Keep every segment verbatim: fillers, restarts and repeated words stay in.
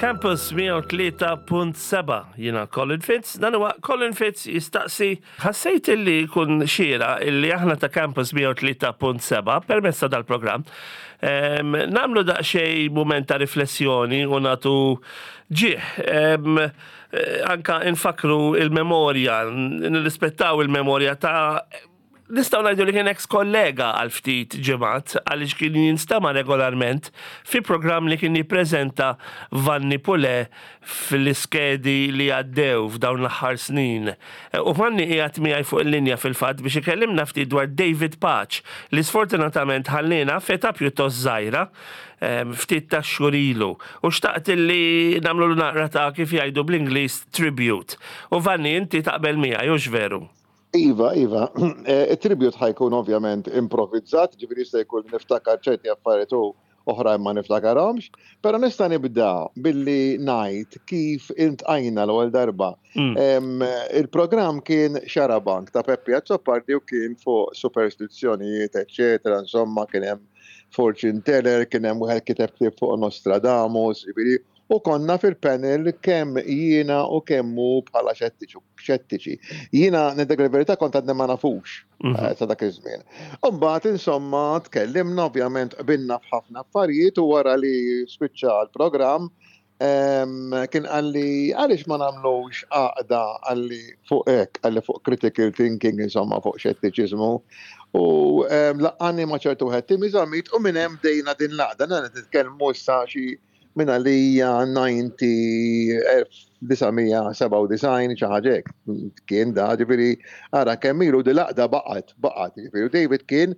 Campus mija u tlieta punt seba', jiena Colin Fitz, dan huwa Colin Fitz Jistaqsi. Ħassejt illi kun xieraq illi aħna ta' Campus mija u tlieta punt seba' permezz ta' dal-programm em, nagħmlu daqsxejn moment ta' riflessjoni u nagħtu ġieħ. Em, eh, anka infakru il-memorja, nirrispettaw il-memorja ta' nistgħu ngħidu li kien ex kollega għal ftit ġimgħat, għaliex kien jinstama regolarment fi programm li kien jippreżenta Vanni Pule fil-iskedi li għaddew f'dawn l-aħħar snin. U Vanni qiegħed miegħi fuq il-linja fil-fatt biex ikellimna ftit dwar David Pace, li sfortunatament ħallina f'età pjuttost żgħira em, ftit ta' xhur ilu. U xtaqt li nagħmlu naqra ta', kif jgħidu bl-Ingliż, tribute. U Vanni, inti taqbel miegħi, hux veru? Iva, Iva, Eh, il-tribute ħa jkun ovvjament improvizzat, ġifieri jista' jkun niftakar ċerti affarijiet u oħrajn ma niftakarhomx, però nista' nibda billi ngħid kif iltqajna l-ewwel darba. Mm. Em, Il-programm kien Xarabank ta' Peppi Azzopardi u kien fuq superstizzjonijiet, eccetera, insomma, kien hemm fortune teller, kien hemm wieħed kiteb ktieb fuq Nostradamus, ġifieri, u konna fil-panel kemm jiena u kemm hu bħala xettiċi. xettiċi. Jiena ngħidlek il-verità, kont għadni ma nafux Mhm. eh, sa dak iż-żmien. Imbagħad, insomma, tkellimna, ovvjament qbilna f'ħafna affarijiet, u wara li spiċċa l-programm em, kien qalli, "Għaliex ma nagħmlux għaqda?" qalli, fuq hekk, qalli, fuq critical thinking, insomma, fuq xettiċiżmu. U em, laqqagħni ma' ċertu wieħed Timmy Zammit u minn hemm bdejna din l-għaqda. Nana nitkellmu issa xi minn għalija disgħin, xi ħaġa hekk kien da, ġifieri ara kemm ilu di l-għaqda baqgħet, baqgħet, ġifieri David kien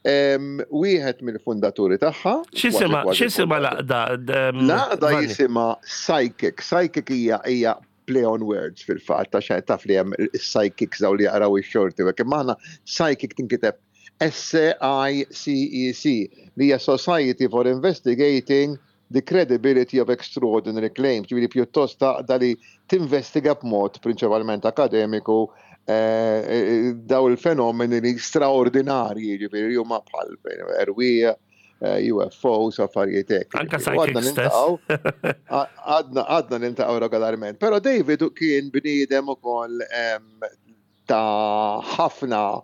em, wieħed mill-fundaturi tagħha. X'jisimha kważi kważi x'jisimha fundatur. l-għaqda? em, L-għaqda Vanni? jisimha Psychic. Psychic hija hija play on words fil-fatt, ta' taf li hemm is-psychics, daw li jaqraw ix-xorti, u hekk, imma aħna Psychic tinkiteb S I C E C, li hija Society for Investigating the Credibility of Extraordinary Claims, ġifieri pjuttost għaqda li tinvestiga b'mod prinċipalment akademiku eh, eh, daw il-fenomeni li straordinarji, ġifieri huma bħal erwieħ, eh, U F Os, affarijiet hekk. Anka Ġifieri, u għadna psychics stess. niltaqgħu- għadna għadna niltaqgħu regolarment. Però David kien bniedem ukoll em, ta' ħafna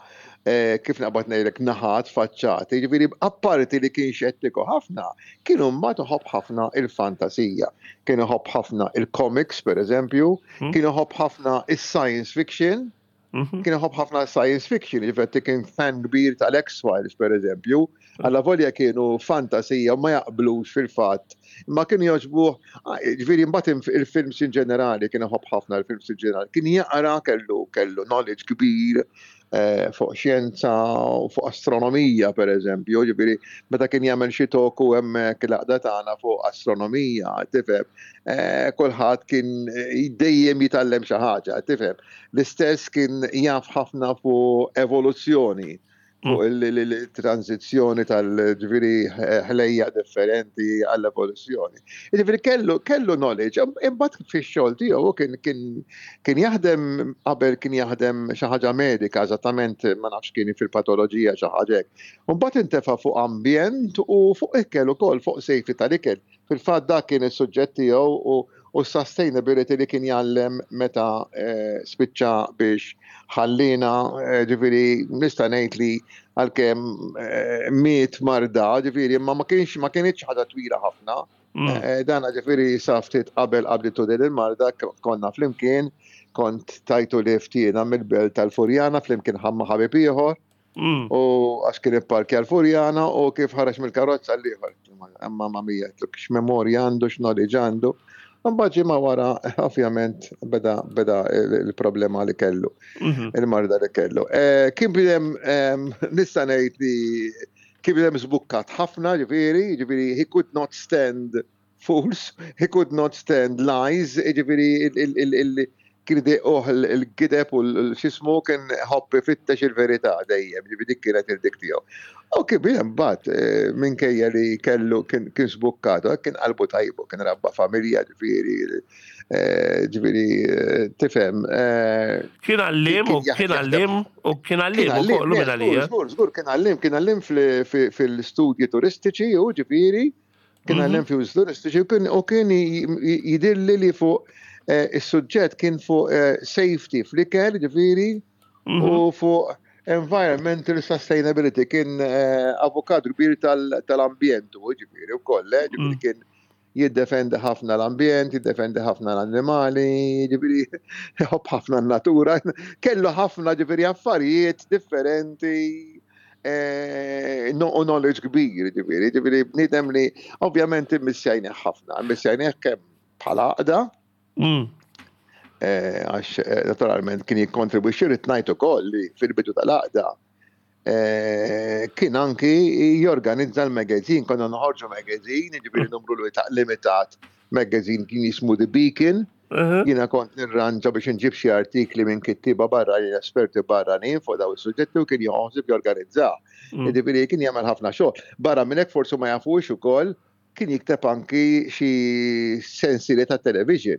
eh, kif naqbad ngħidlek, naħat faċċati, ġifieri apparti li kien xettiku ħafna, kienu mbagħad iħobb ħafna il-fantasija, kien iħobb ħafna il-comics, per eżempju, Hmm. kien iħobb ħafna il-science fiction, Mhm. kien iħobb ħafna science fiction, ġifieri kien fan kbir tal-X-Files, per eżempju, għalla volja kienu fantasija u ma jaqblux fil-fatt, ma kienu jogħġbuh, ah, ġifieri mbagħad il-films in ġenerali, kien iħobb ħafna il-films in ġenerali, kien jaqra, kellu kellu knowledge kbir eh, fuq xjenza u fuq astronomija, per eżempju, ġifieri meta kien jagħmel xi talk hemmhekk l-għaqda tagħna fuq astronomija, tifhem, eh, kulħadd kien eh, dejjem jitgħallem xi ħaġa, tifhem. L-istess kien jaf ħafna fuq evoluzzjoni, fuq il-transizzjoni tal-, ġifieri, ħlejjaq differenti għall-evoluzzjoni. Ġifieri kellu kellu knowledge, imbagħad fix-xogħol tiegħu kien kien kien jaħdem, qabel kien jaħdem xi ħaġa medika, eżattament ma nafx, kien fil-patoloġija, xi ħaġa hekk. Imbagħad intefa' fuq ambjent u fuq ikel ukoll, fuq safety tal-ikel. Fil-fatt dak kien is-suġġett tiegħu u u sustainability li kien jgħallem meta eh, spiċċa biex ħallina, eh, ġifieri nista' ngħid li għalkemm eh, miet marda, ġifieri, imma ma kienx ma kienx ħaġa twila ħafna. Mm. Eh, Dana ġifieri sa ftit qabel qabditu din il-marda konna flimkien, kont tajtu lift jiena mill-Belt tal-Furjana flimkien ma' ħabib ieħor Mm. u għax kien ipparkja l-Furjana u kif ħareġ mill-karozza l-ieħor. Mamma mia, x'memorja għandu, x'knowledge għandu. Mbagħad ġimgħa wara, ovvjament, beda beda il-problema li kellu, Mhm. il-marda li kellu. Eh, Kien bniedem, em, nista' ngħid li kien bniedem żbukkat ħafna, ġifieri, ġifieri he could not stand fools, he could not stand lies, ġifieri il- il- il- kien idejquh il-gideb u l-xismu, kien iħobb ifittex il-verità dejjem, ġifieri dik kienet il-dik tiegħu. U kien bniedem bat, eh, minkejja li kellu kien kien żbukkat, kien qalbu tajbu, kien rabba familja, ġifieri, eh, ġifieri, eh, tifhem. eh, Kien għalliem u Kien kien jaħdem- għalliem u kien għalliem u kollu minn għalija. Żgur, żgur, kien għalliem, kien għalliem fil- fil- fil-studji turistiċi u ġifieri. Kien Mhm. għallem fi turistiċi u kien u kien jidhirli li fuq eh, is-suġġett kien fuq eh, safety fl-ikel, ġifieri, Mhm. u fuq environmental sustainability, kien eh, avukat kbir tal- tal-ambjent u ġifieri u koll, eh, ġifieri Mm. kien jiddefendi ħafna l-ambjent, jiddefendi ħafna l-annimali, ġifieri jħobb ħafna n-natura, kellu ħafna ġifieri affarijiet differenti eh, no- u knowledge kbir, ġifieri, ġifieri bniedem li ovvjament immissjajnih ħafna, immissjajnih kemm bħala għaqda, Mm. eh, għax eh, naturalment kien jikkontribwixxi rrid ngħid ukoll li fil-bidu tal-għaqda eh, kien anki jorganizza l-magazine, konna noħorġu magazine, ġifieri numru limitat magazine kien jismu The Beacon, Uh-huh. jiena kont nirranġa biex nġib xi artikli minn kittiba barranin, esperti barranin fuq daw is-suġġetti u kien joħsib jorganizza. Mm. Ġifieri kien jagħmel ħafna xogħol. Barra minn hekk forsi ma jafux ukoll kien jikteb anki xi sensieli ta' television.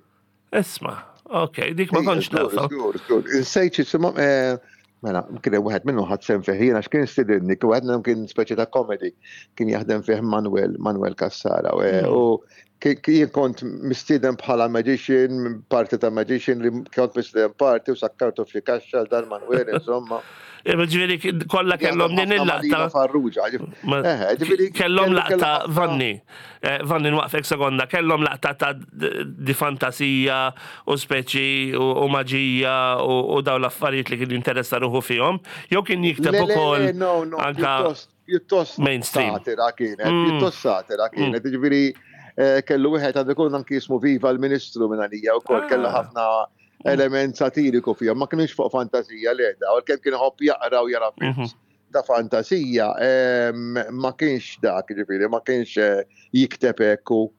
Isma, ok, dik ma kontx Żgur, nafha. żgur, żgur. Insejt x'isimhom, eh, mela, kien hemm wieħed minnhom ħadt sehem fih jiena x'kien stidinni, kien wieħed minnhom kien speċi ta' comedy, kien jaħdem fih Manuel, Manuel Cassara. u, eh, Mm. U ki- ki- jien kont mistieden bħala magician, parti ta' magician li kont mistieden parti u sakkartu f'xi kaxxa dan Manuel, insomma. Ġifieri kollha kellhom din Jaħdem ħafna il-laqta. ma' Lino Farrugia. Ma- Eh, ġifieri Kellhom kellu- laqta, kellu ħafna- Vanni, eh, Vanni nwaqfek sekonda, kellhom laqta ta' d- di fantasija u speċi u u maġija u u daw l-affarijiet li kien jinteressa ruħu fihom, jew kien jikteb Le, le, ukoll le, no, no, anka pjuttost, pjuttost mainstream. satira kienet, Mm. pjuttost satira kienet, ġifieri eh, kellu wieħed għandu jkun anki jismu Viva l-Ministru minn għalija wkoll kellu Ah. ħafna element satiriku fihom, ma kienx fuq fantasija le da, u kemm kien iħobb jaqra u jara films Mhm. ta' fantasija, em, ma kienx dak, ġifieri, ma kienx eh, jikteb hekk u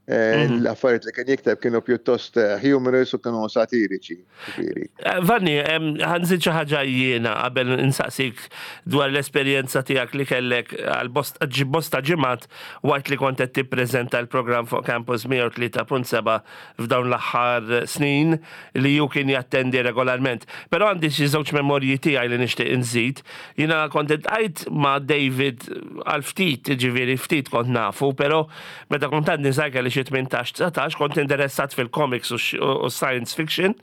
eh, Mhm. l-affarijiet li kien jikteb kienu pjuttost eh, humorous u kienu satiriċi, ġifieri. Eh, Vanni, em, ħa nżid xi ħaġa jiena qabel insaqsik dwar l-esperjenza tiegħek li kellek għal bosta ġi- bosta ġimgħat waqt li kont qed tippreżenta l-programm fuq Campus mija u tlieta punt seba' f'dawn l-aħħar snin li ju kien jattendi regolarment. Però għandi xi żewġ memorji tiegħi li nixtieq inżid. Jiena kont iltqajt ma' David għal ftit, ġifieri ftit kont nafu, però meta kont għadni żgħir kelli xi tmintax dsatax kont interessat fil-comics u x- u science fiction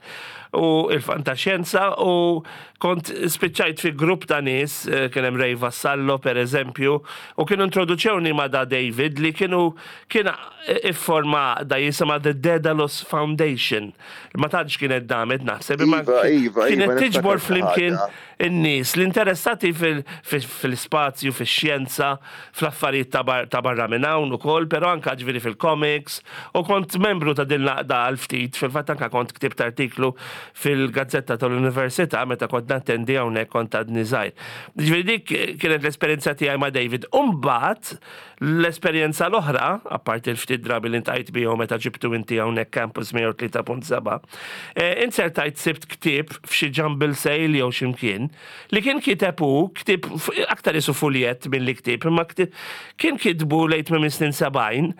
u il-fantaxjenza u kont spiċċajt fi grupp ta' nies, eh, kien hemm Ray Vassallo per eżempju, u kienu introduċewni ma' da David li kienu kien ifforma da jisimha The Daedalus Foundation. Ma tantx kienet damet naħseb, imma Iva, iva, kienet iva, tiġbor niftakar xi flimkien ħaġa. in-nies l-interessati fil- fil- fil-spazju, fil-xjenza, fl-affarijiet ta' bar- ta' barra minn hawn ukoll, però anka ġifieri fil-comics, u kont membru ta' din l-għaqda għal ftit, fil-fatt anka kont ktibt artiklu fil-gazzetta tal-Università meta kont nattendi hawnhekk kont għadni żgħir. Ġifieri dik kienet l-esperjenza tiegħi ma' David. Umbagħad l-esperjenza l-oħra, apparti l-ftit drabi li ltqajt bihom meta ġibtu inti hawnhekk Campus mija u tlieta punt seba', eh, insertajt sibt ktieb f'xi jumble sale jew x'imkien li kien kiteb hu, ktieb f- aktar isu fuljett minn li ktieb, imma ktieb kien kitbu lejn minn snin sebgħin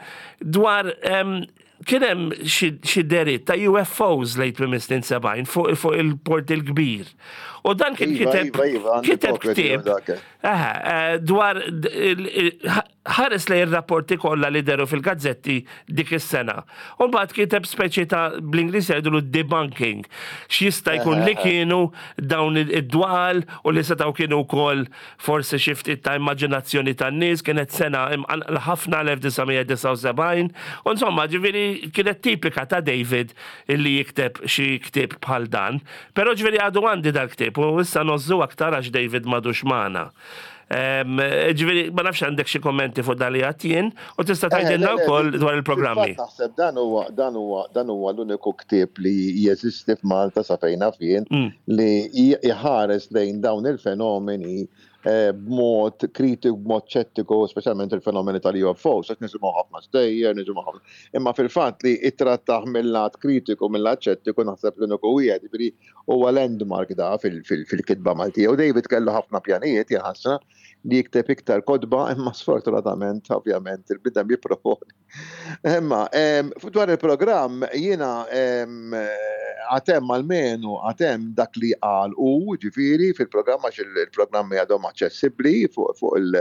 dwar em, kien hemm xi xi dehriet ta' U F Os lejn minn snin sebgħin fuq fuq il-Port il-Kbir. U dan kien Iva, kiteb iva, iva, għandi kiteb kopja tiegħu ktieb dak. Aha, eh, dwar d- il- il- ħares lejn ir-rapporti kollha li dehru fil-gazzetti dik is-sena. U mbagħad kiteb speċi ta' bl-Ingliż jgħidulu debunking. X'jista' jkun li kienu dawn id-dwal u li setgħu kienu wkoll forsi xi ftit ta' immaġinazzjoni tan-nies, kienet sena imqanqla ħafna l-elf disa' mija disgħa u sebgħin. U insomma, ġifieri kienet tipika ta' David illi jikteb xi ktieb bħal dan. Però ġifieri għadu għandi dal-ktieb u issa ngħożżu aktar għax David m'għadux magħna. Em, Ġifieri, ma nafx għandek xi kommenti fuq dan li għedt jien u tista' tgħidilna Eh, le, le, wkoll dwar il-programmi. Fil-fatt naħseb dan huwa dan huwa dan huwa l-uniku ktieb li jeżisti f'Malta sa fejn naf jien Mm. li jħares lejn dawn il-fenomeni eh, b'mod kritiku, b'mod ċettiku, speċjalment il-fenomeni tal-U F Os, għax nisimgħu ħafna stejjer, nisimgħu ħafna. Imma fil-fatt li ittrattaħ mill-lat kritiku, mill-lat ċettiku, naħseb l-uniku wieħed, ġifieri huwa landmark da fil- fil- fil-kitba Maltija. U David kellu ħafna pjanijiet jaħasra li jikteb iktar kotba, imma sfortunatament, ovvjament, il-bniedem jipproponi. Imma, em, dwar il-programm, jiena em, għad hemm almenu, għad hemm dak li qal u ġifieri fil-programm, għax il-programmi għadhom aċċessibbli fuq fuq il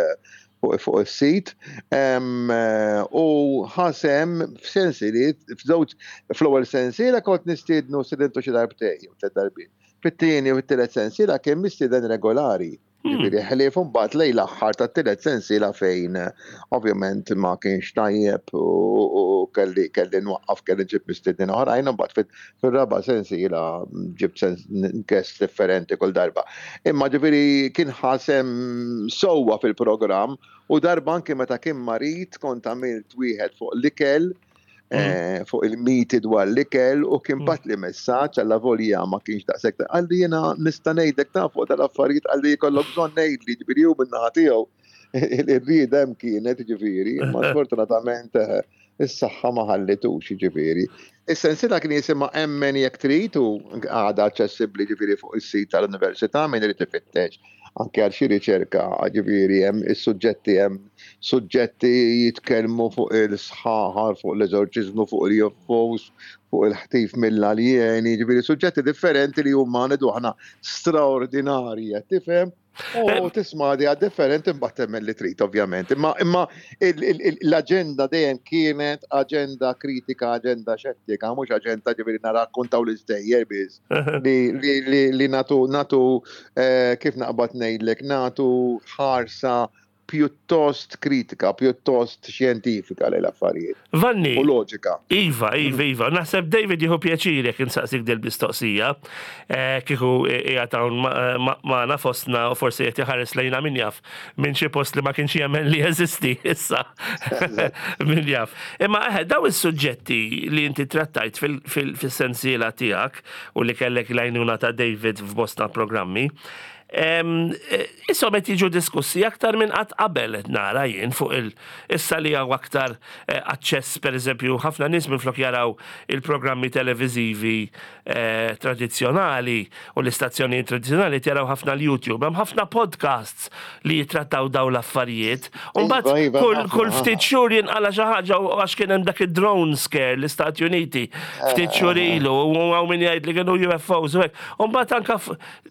fuq is-sit u ħa sehem f'sensiliet, f'żewġ, fl-ewwel sensiela kont nistiednu stedintu xi darbtejn jew tliet darbiet. Fit-tieni u t-tielet sensiela kien mistieden regolari. Hmm. Ġifieri ħlief mbagħad lejn l-aħħar tat-tielet sensiela fejn ovvjament ma kienx tajjeb u kelli kelli nwaqqaf, kelli ġib mistednin oħrajn, mbagħad fir-raba' sensiela ġibt guest differenti kull darba. Imma ġifieri kien ħa sehem sewwa fil-programm u darba anke meta kien marid kont għamilt wieħed fuq l-ikel, mm. eh, fuq il-miti dwar l-ikel, u kien mm. bagħatli messaġġ, għalavolja ma kienx daqshekk, qalli, "Jiena nista' ngħidlek ta' fuq tal-affarijiet," qalli, "jkollok bżonn ngħidli." Ġifieri hu min-naħa tiegħu ir-rieda hemm kienet, ġifieri, ma sfortunatament eh, is-saħħa ma ħallitux, ġifieri. Is-sensiela kien jisimha "Emmen Jekk Trid" u għadha aċċessibbli, ġifieri, fuq is-sit tal-Università min irid ifittex anke għal xi riċerka. Ġifieri hemm is-suġġetti, hemm suġġetti jitkellmu fuq il-sħaħar, fuq l-eżorċiżmu, fuq il-U F Os, fuq il-ħtif mill-aljeni, ġifieri suġġetti differenti li huma, ngħidu aħna, straordinarji, tifhem? U tisma' di differenti, mbagħad temmen li trid, ovvjament. Imma imma l-aġenda dejjem kienet aġenda kritika, aġenda xettika, mhux aġenda, ġifieri, narakkontaw l-istejjer biss. Li li nagħtu nagħtu eh, kif naqbad ngħidlek, nagħtu ħarsa pjuttost kritika, pjuttost xjentifika lejn l-affarijiet. Vanni. U loġika. Iva, Iva, Iva. Naħseb David jieħu pjaċir jekk insaqsik dil-mistoqsija. Eh, kieku qiegħed hawn magħna fostna u forsi qed iħares lejna, min jaf, minn xi post li ma kienx jemmen li jeżisti issa. Min jaf. Imma eħe, daw is-suġġetti li inti trattajt fil-sensiela tiegħek u li kellek l-għajnuna ta' David f'bosta programmi, Isom qed jiġu diskussi aktar minn qatt qabel, nara jien, fuq il issa li hawn aktar eh, aċċess. Pereżempju, ħafna nies minflok jaraw il-programmi televiżivi eh, tradizzjonali u l-istazzjoni tradizzjonali jaraw ħafna l-YouTube, hemm ħafna podcasts li jitrattaw daw l-affarijiet. U mbagħad iva, iva, kull kull ftit xhur jinqala xi ħaġa, għax kien hemm dak id-drone scare l-Istati Uniti ftit xhur eh. ilu u hawn min jgħid li kienu U F Os u hekk. U mbagħad anka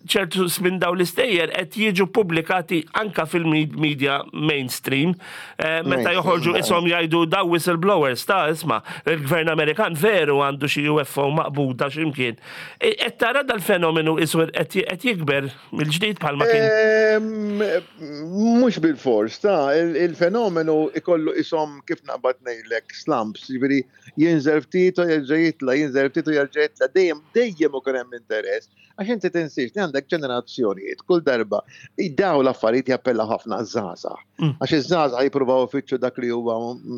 ċertu minn daw l-istejjer qed jiġu pubblikati anka fil-media mainstream eh, meta joħorġu ishom jgħidu daw whistleblowers ta' isma', il-gvern Amerikan veru għandu xi U F O maqbuda x'imkien. E, qed tara dal-fenomenu isu qed jikber mill-ġdid bħalma kien? Mhux bil-fors, ta' il-fenomenu ikollu ishom, kif naqbad ngħidlek, slumps, jiġifieri jinżel ftit u jerġa' jitla', jinżel ftit u jerġa' jitla', dejjem dejjem ukoll hemm interess. Għax inti tinsiex li għandek ġenerazzjonijiet, kull darba daw l-affarijiet jappella ħafna żgħażagħ. Mm. Għax iż-żgħażagħ jippruvaw ifittxu dak li huwa,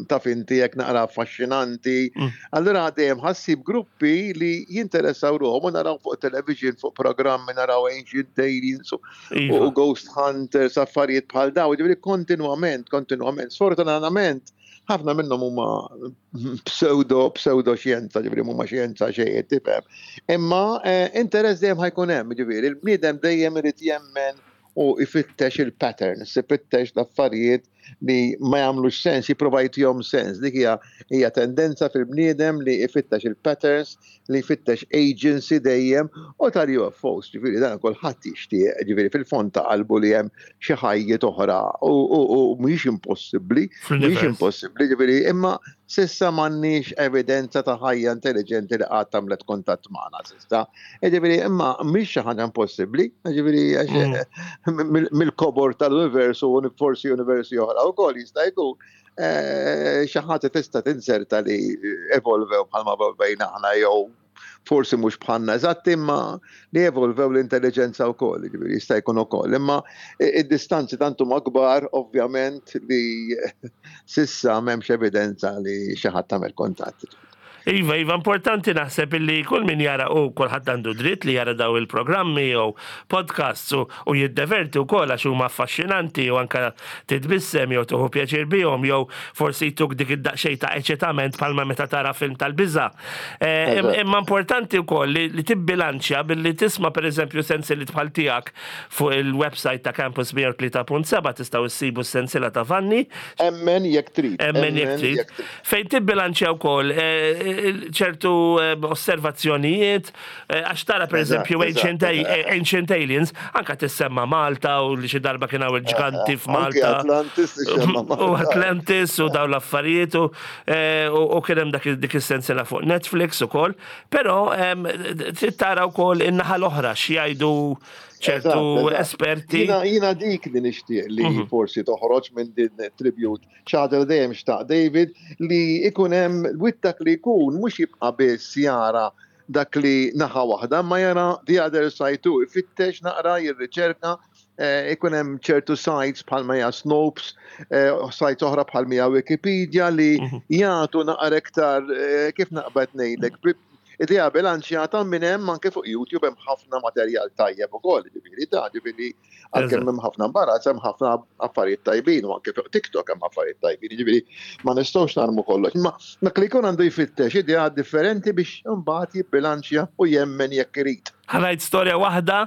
taf inti, jekk naqra affaxxinanti. Mm. Allura dejjem ħa ssib gruppi li jinteressaw ruħhom u naraw fuq television, fuq programmi, naraw Ancient Aliens u iva. Ghost Hunters, affarijiet bħal daw, ġifieri kontinwament, kontinwament. Sfortunatament, ħafna minnhom huma pseudo pseudo xjenza, ġifieri huma xjenza xejn, tifhem. Imma eh, interess dejjem ħa jkun hemm, ġifieri il-bniedem dejjem irid jemmen u ifittex il-patterns, ifittex l-affarijiet li ma jagħmlux sens, jipprova jtihom sens. Dik hija hija tendenza fil-bniedem li ifittex il-patterns, li jfittex agency dejjem, u tal-U F Os, ġifieri dan kulħadd jixtieq, ġifieri fil-fond ta' qalbu li hemm xi ħajjiet oħra u mhijiex impossibbli, mhijiex impossibbli, ġifieri, imma s'issa m'għandniex evidenza ta' ħajja intelligenti li qatt għamlet kuntatt magħna s'issa. Ġifieri, imma mhix xi ħaġa impossibbli, ġifieri mm. mill-kobor tal-univers u forsi universi oħra wkoll jista' jkun eh, xi ħaġa tista' tinserta li evolvew bħalma evolvejna aħna, jew forsi mhux bħalna eżatt, imma li evolvew l-intelligenza wkoll, ġifieri jista' jkun ukoll. Imma id-distanzi tant huma kbar, ovvjament, li s'issa m'hemmx evidenza li xi ħadd tagħmel kuntatt. Iva, iva, importanti naħseb illi kull min jara, u kulħadd għandu dritt li jara daw il-programmi jew podcasts u, u jiddeverti wkoll għax huma affaxxinanti u anka titbissem jew tieħu pjaċir bihom jew forsi jtuk dik id-daqsxejn ta' eċitament bħalma meta tara film tal-biża. Eh, imma importanti wkoll li, li tibbilanċja billi tisma' pereżempju sensiliet bħal tiegħek fuq il-website ta' Campus mija u tlieta punt seba, tistgħu issibu s-sensila ta' Vanni. Emmen Jekk Trid. Emmen Jekk Trid. Fejn tibbilanċja wkoll eh, ċertu osservazzjonijiet, għax tara per eżempju Ancient Aliens, anka tissemma Malta u li xi darba kien hawn il-ġganti f'Malta. Atlantis U Atlantis u dawn l-affarijiet u kien hemm dik is-sensiela fuq Netflix ukoll, però trid tara wkoll in-naħa l-oħra x'jgħidu ċertu esperti. Jiena dik li nixtieq li mhm. forsi toħroġ minn din tribute ċader dejjem xtaq David li ikun hemm wittak li jkun mhux jibqa' biss jara dak li naħa waħda, ma jara the other side too, ifittex naqra jirriċerka eh, ikun hemm ċertu sites bħalma hija Snopes, eh, sites oħra bħalma hija Wikipedia li mhm. jagħtu naqra iktar eh, kif naqbad ngħidlek idea bilanċjata minn hemm anke fuq YouTube hemm ħafna materjal tajjeb ukoll, ġifieri ta' ġifieri għalkemm hemm ħafna imbarazz hemm ħafna affarijiet tajbin u anke fuq TikTok hemm affarijiet tajbin, ġifieri ma nistgħux narmu kollox. Imma dak li jkun għandu jfittex idea differenti biex imbagħad jibbilanċja u jemmen jekk irid. Ħa ngħid storja waħda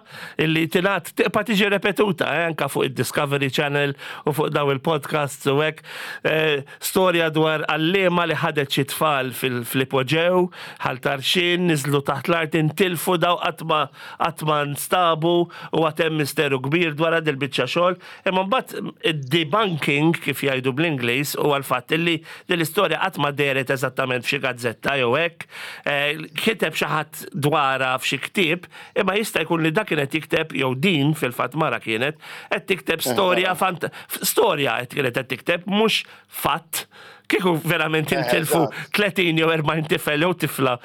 illi tingħad tibqa' tiġi repetuta eh, anka fuq id-Discovery Channel u fuq daw il-podcasts u hekk. Eh, storja dwar għalliema li ħadet xi tfal fil-ipoġew, Ħal Tarxien, niżlu taħt l-art intilfu daw qatt ma nstabu u għad hemm misteru kbir dwar dil-biċċa xogħol. Imma mbagħad id-debunking kif jgħidu bl-Ingliż huwa l-fatt illi din l-istorja qatt ma dehret eżattament f'xi gazzetta jew hekk. Eh, kiteb xi ħadd dwarha f'xi ktieb, imma jista' jkun li dak kienet jikteb jew din fil-fatt mara kienet qed tikteb storja fant storja qed kienet qed tikteb mhux fatt. Kieku verament intilfu tletin jew erbgħin tifel jew tifla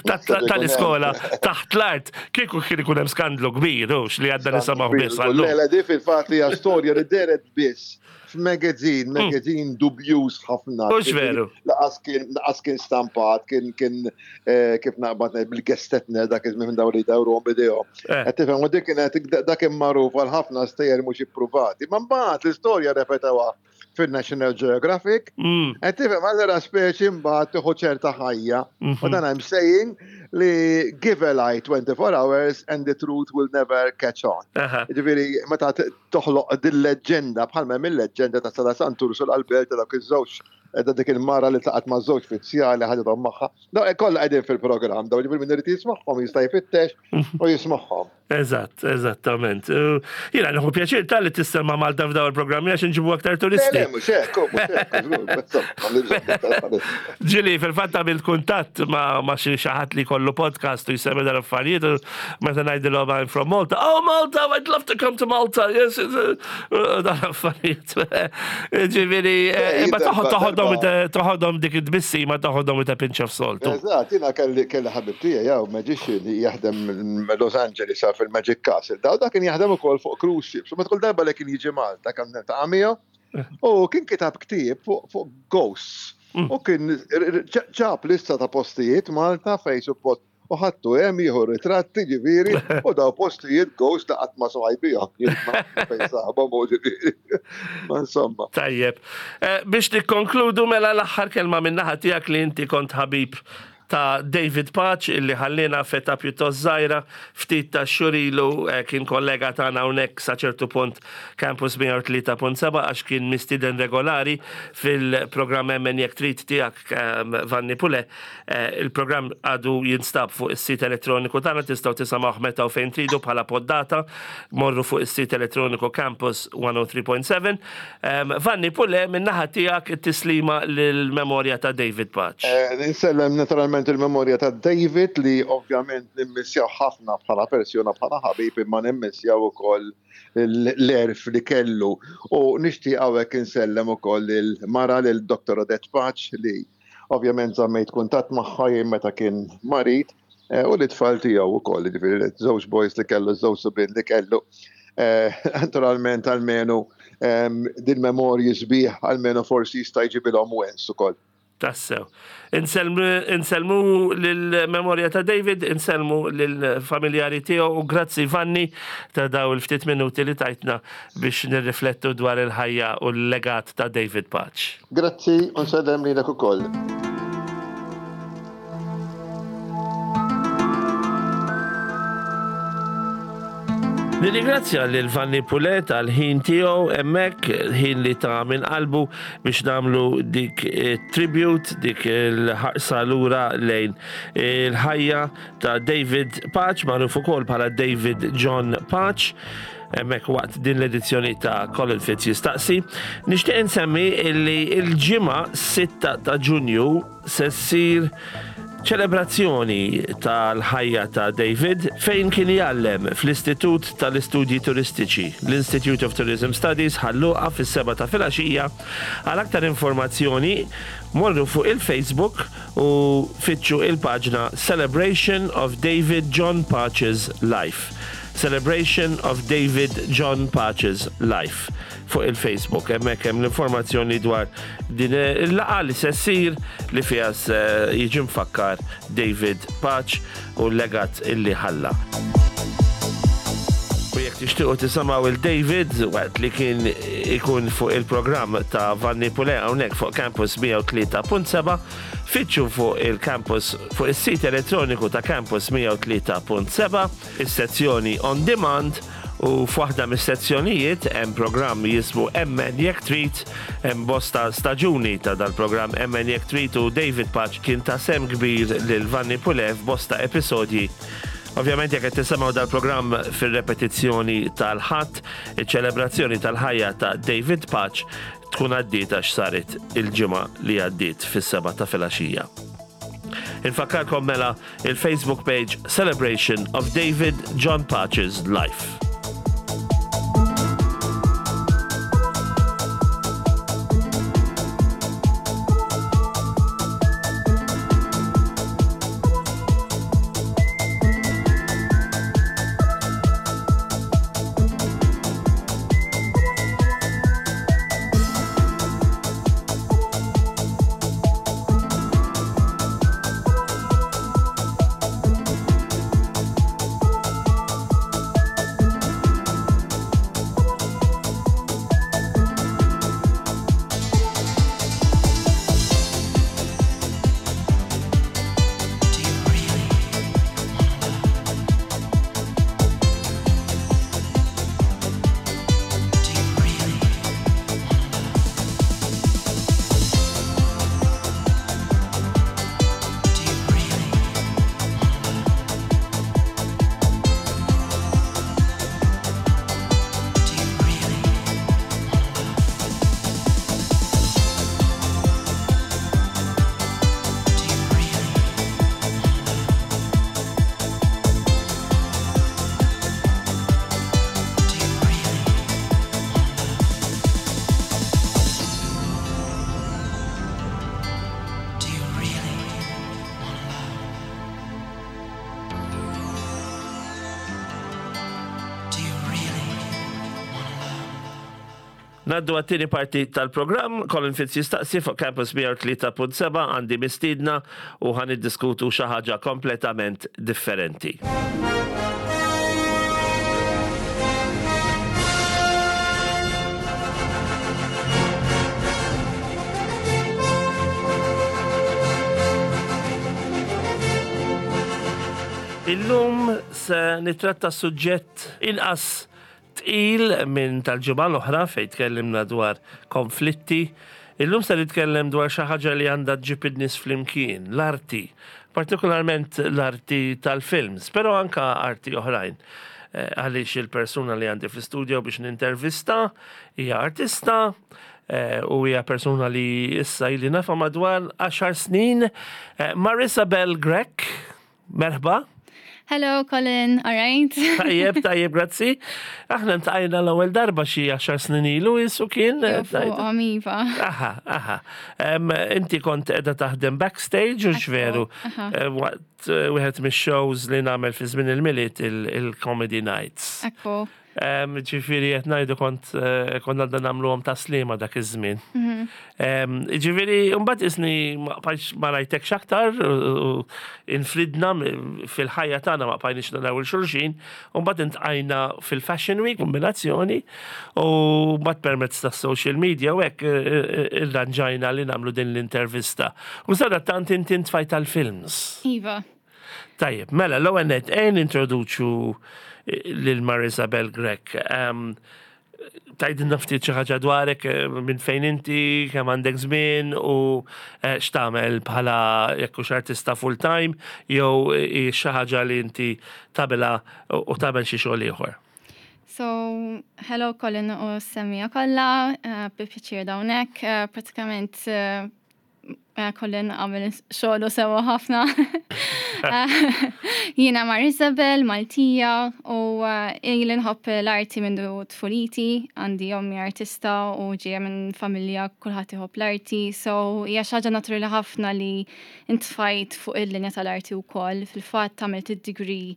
tal-iskola taħt l-art, kieku kien ikun hemm skandlu kbir, hux li għadda nisimgħu biss għallum. Le, le, di fil-fatt hija storja li dehret biss f'magazine, mm. magazine dubjuż ħafna. Mhux veru. Laqas kien laqas kien stampat, kien kien eh, kif naqbad ngħid bil-gestetner dak iż minn dawn li jdawruhom bidejhom. Eh. Qed tifhem u dik kienet dak kien magħruf għal ħafna stejjer mhux ippruvati. Ma mbagħad l-istorja repetewha fil-National Geographic. Mm. Qed tifhem allura speċi mbagħad tieħu ċerta ħajja. U mhm. dan I'm saying li give a lie twenty-four hours and the truth will never catch on. Ġifieri meta toħloq din leġġenda bħalma hemm il-leġġenda ta' Sala Santursu l-Albert ta' dawk iż-żewġ ta' dik il-mara li tlaqat ma' żewġ fizzjali ħadithom magħha. Daw kollha qegħdin fil-programm, daw ġifieri min irid jismagħhom jista' jfittex u jismagħhom. Eżatt, eżattament. Jiena nieħu pjaċir tal-li tissemma Malta f'daw il-programmi għax nġibu aktar turisti. Le, mhux hekk, mhux hekk. Ġili, fil-fatt għamilt kuntatt ma' xi ħadd li kollu podcast u jsemmi dan affarijiet u meta ngħidilhom I'm from Malta. Oh Malta, I'd love to come to Malta. Yes, dan affarijiet. Ġifieri, imma toħodhom toħodhom dik id-tbissima toħodhom with a pinch of salt. Eżatt, jiena kelli kelli ħabib tiegħi jew magician li jaħdem Los Angeles fil-Magic Castle. Daw dak kien jaħdem ukoll fuq cruise ships. U meta kull darba li kien jiġi Malta kan niltaqa' miegħu u kien kitab ktieb fuq ghosts. Mm. U kien ġab lista ta' postijiet Malta fej suppost u ħattu hemm jieħu ritratti ġifieri u daw postijiet ghost ta' qatt ma smaj bihom. Fejn saħbhom u ġifieri. Ma insomma. Tajjeb. Eh, biex nikkonkludu mela l-aħħar kelma min-naħa tiegħek li inti kont ħabib ta' David Pace illi ħallina f'età pjuttost żgħira ftit ta' xhur ilu eh, kien kollega tagħna hawnhekk sa ċertu punt Campus mija u tlieta punt seba' għax kien mistieden regolari fil-programm Emmen Jekk Trid tiegħek ehm, Vanni Pule. Eh, il-programm għadu jinstab fuq is-sit elettroniku tagħna tistgħu tisimgħuh meta u fejn tridu bħala poddata. Morru fuq is-sit elettroniku Campus one oh three point seven. Ehm, Vanni Pule, min-naħa tiegħek it-tislima lill-memorja ta' David Pace. Eh, insellem naturalment il-memorja ta' David li ovvjament nimmissjaw ħafna bħala persuna, bħala ħabib, imma nimmissjaw ukoll l-erf li kellu. U nixtieq hawnhekk insellem ukoll il-mara lil Doktor Odette Pace li ovvjament żammejt kuntatt magħha jien meta kien marid, eh, u l-itfal tiegħu ukoll, jiġifieri żewġ boys li kellu, żewġ subien li kellu. Eh, naturalment almenu, ehm, din memorji sbieħ almenu forsi jista' jġibilhom wens ukoll. Tassew. Insellmu lill-memorja ta' David, insellmu lill-familjari tiegħu u grazzi Vanni ta' daw il-ftit minuti li tajtna biex nirriflettu dwar il-ħajja u l-legat ta' David Pace. Grazzi u nsellem lilek ukoll. Nirringrazzja lil Vanni Pulet għal ħin tiegħu hemmhekk, ħin li ta minn qalbu biex nagħmlu dik tribute, dik il-ħarsa lura lejn il-ħajja ta' David Pace, magħruf ukoll bħala David John Pace, hemmhekk waqt din l-edizzjoni ta' Colin Fitz Jistaqsi. Nixtieq insemmi illi il-ġimgħa sitta ta' Ġunju se ssir ċelebrazzjoni tal-ħajja ta' David fejn kien jgħallem fl-Istitut tal-Istudji Turistiċi, l-Institute of Tourism Studies, Ħal Luqa, fis-sebgħa ta' filgħaxija. Għal aktar informazzjoni morru fuq il-Facebook u fittxu il-paġna Celebration of David John Pace's Life. Celebration of David John Pace's Life fuq il-Facebook. Hemmhekk hemm l-informazzjoni dwar din il-laqgħa li se ssir li fiha se jiġi mfakkar David Pace u l-legat illi ħalla. U jekk tixtiequ tisimgħu il-David waqt li kien ikun fuq il-programm ta' Vanni Pule hawnhekk fuq Campus mija u tlieta punt seba', fittxu fuq il-campus, fuq is-sit elettroniku ta' Campus mija u tlieta punt seba', is-sezzjoni On Demand, u f'waħda mis-sezzjonijiet hemm programm jismu Emmen Jekk Trid. Hemm bosta staġuni ta' dal-programm Emmen Jekk Trid u David Pace kien ta' sehem kbir lil Vanni Pule f'bosta episodji. Ovvjament, jekk qed tisimgħu dal-programm fir-repetizzjoni tal-Ħadd, iċ-ċelebrazzjoni tal-ħajja ta' David Pace tkun għaddiet għax saret il-ġimgħa li għaddiet fis-sebgħa ta' filgħaxija. Infakkarkom mela il-Facebook page Celebration of David John Pace's Life. Do you really wanna love? Do you really wanna love? Do you really wanna love? Do you really wanna love? Do you really wanna love? Do you really wanna love? Do you really wanna love? Do you really wanna love? Ngħaddu għat-tieni parti tal-programm, Colin Fitz Jistaqsi fuq Campus mija u tlieta punt seba'. Għandi mistiedna u ħa niddiskutu xi ħaġa kompletament differenti. Illum se nitratta suġġett inqas tqil minn tal-ġimgħa l-oħra fejn tkellimna dwar konflitti. Illum se nitkellem dwar xi ħaġa li għandha ġġib in-nies flimkien, l-arti, partikolarment l-arti tal-films, però anka arti oħrajn. Eh, Għaliex il-persuna li għandi fl-studio biex nintervista hija artista eh, u hija persuna li issa ili nafha madwar għaxar snin. Eh, Marissa Bell Grech, merħba. Hello, Colin. All right. Tajjeb, tajjeb, grazzi. Aħna ltqajna l-ewwel darba xi għaxar snin ilu jisu kien. eh, Fuqhom, iva. Aha, aha. Em, Inti kont qiegħda taħdem backstage u veru? Aha. Eh, Waqt eh, wieħed mix-shows li nagħmel fi żmien il-Milied, il-Comedy Nights. Ekku. Em, Ġifieri qed ngħidu kont eh, konna għadna nagħmluhom ta' Sliema dak iż-żmien. Em, Ġifieri mbagħad isni ma bqajtx ma rajtekx aktar u- u infridna m- fil-ħajja tagħna, ma bqajniex naraw lil xulxin, u mbagħad iltqajna fil-Fashion Week kombinazzjoni u mbagħad permezz tas social media u hekk eh, eh, irranġajna li nagħmlu din l-intervista. U sadattant inti ntfajt tal-films. Iva. Tajjeb, mela, l-ewwel nett ejja nintroduċu lil Marisabel Grech. Um, Tgħidilna ftit xi ħaġa dwarek eh, minn fejn inti, kemm għandek żmien u eh, x'tagħmel bħala jekk hux artista full time jew eh, xi ħaġa li inti tagħmilha u tagħmel xi xogħol ieħor. So, hello Colin u semmiegħa kollha, uh, bi pjaċir hawnhekk. Uh, pratikament uh, uh, Colin għamel xogħlu sewa ħafna. Uh, Jiena Marisabel, Maltija, u uh, ili nħobb l-arti minn tfuliti, għandi ommi artista u ġejja minn familja kulħadd iħobb l-arti, so hija xi ħaġa naturali ħafna li intfajt fuq il-linja tal-arti wkoll. Fil-fatt għamilt id-degree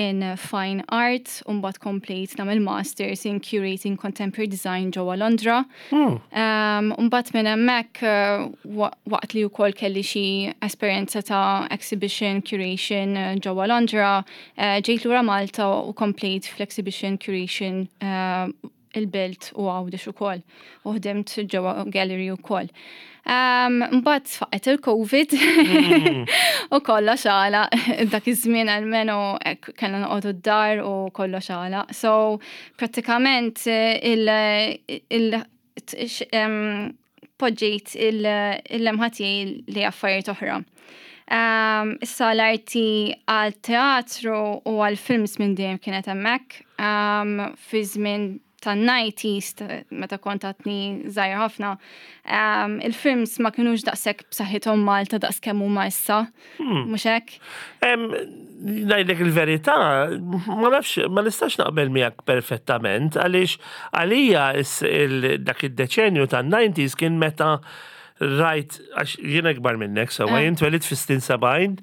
in Fine Art u mbagħad komplejt nagħmel Masters in Curating Contemporary Design ġewwa Londra. Um, Mbagħad minn hemmhekk uh, wa- waqt li wkoll kelli xi esperjenza ta' exhibition curation uh, ġewwa Londra, uh, ġejt lura Malta u komplejt fl-exhibition curation uh, il-Belt u Għawdex ukoll u ħdimt ġewwa gallery ukoll. Um, Mbagħad faqqet il-Covid u kollox għalaq dak iż-żmien almenu hekk kellna noqogħdu d-dar u kollox għalaq. So prattikament eh, il, il, t- em, poġġejt il-lemħa tiegħi li affarijiet oħra. Um, issa l-arti għal teatru u għal films minn dejjem kienet hemmhekk. Um, fi żmien tan-nineties, meta kont għadni żgħira ħafna, um, il-films ma kinux daqshekk b'saħħithom Malta daqs kemm huma issa. Mhux hekk? Em, Ngħidlek il-verità, ma nafx, ma nistax naqbel miegħek perfettament, għaliex għalija is- il- dak id-deċenju tan-nineties kien meta rajt, għax jiena ikbar minnek, sewa, Eh. jien twelidt fis-snin sebgħin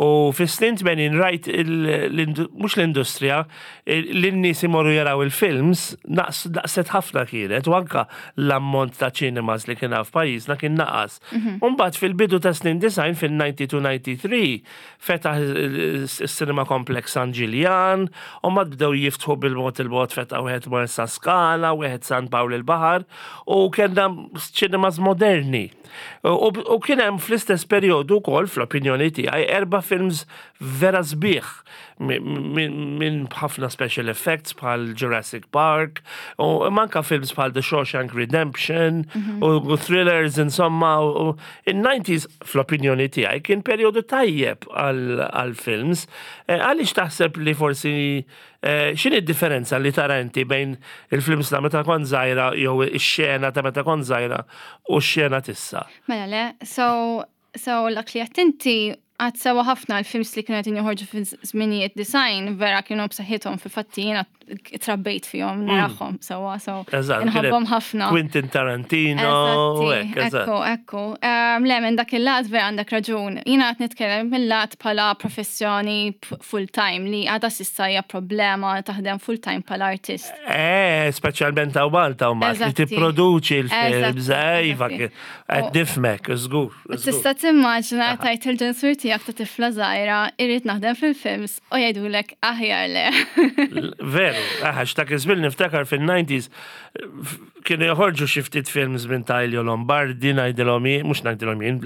u fis-snin tmenin rajt il- l-indu- mhux l-industrija, l-nies imorru jaraw il-films, naqs naqset ħafna kienet, u anka l-ammont ta' cinemas li kien hawn f'pajjiżna kien naqas. Umbagħad fil-bidu ta' snin disgħin fil-disgħa u disgħin fetaħ il-Cinema Complex San Ġiljan, u mbagħad bdew jiftħu bil-mod il-mod, fetaħ wieħed Marsa Skala, wieħed San Pawl il-Baħar, u kellna cinemas moderni. U, u kien hemm fl-istess perjodu wkoll, fl-opinjoni tiegħi, erba' films vera sbieħ minn min ħafna special effects bħal Jurassic Park u anka films bħal The Shawshank Redemption u, u thrillers insomma, u, u in-nineties fl-opinjoni tiegħi kien perjodu tajjeb għal għal films. Eh, Għaliex taħseb li forsi eh, x'inhi d-differenza li tara inti bejn il-films ta' meta kont żgħira jew ix-xena ta' meta kont żgħira u x-xena t'issa? Mela le, so, so dak li għedt inti għedt sewa ħafna, l-films li kienu qed joħorġu fi żminijiet disgħin vera kienu b'saħħithom. Fil-fatti jiena trabbejt fihom narahom sewa, so Eżatt, inħobbhom ħafna. Quentin Tarantino, u hekk, eżatt. Ekku, ekku. Um, le, minn dak il-lat vera għandek raġun. Jiena qed nitkellem mill-lat bħala professjoni full-time li għadha s'issa hija problema taħdem full-time bħala artist. Eh, speċjalment hawn Malta u Malta li Eżatti. tipproduċi l-films, Eżatti, eh, iva, eżatti. qed nifhmek, żgur. żgur. Tista' timmaġina tgħid il-ġenituri tiegħek ta' tifla żgħira irrid naħdem fil-films u jgħidulek aħjar le. Veru, għax dak iż-żmien niftakar fil-nineties kienu joħorġu xi ftit films minn ta' Elio Lombardi, ngħidilhom jien, mhux ngħidilhom jien,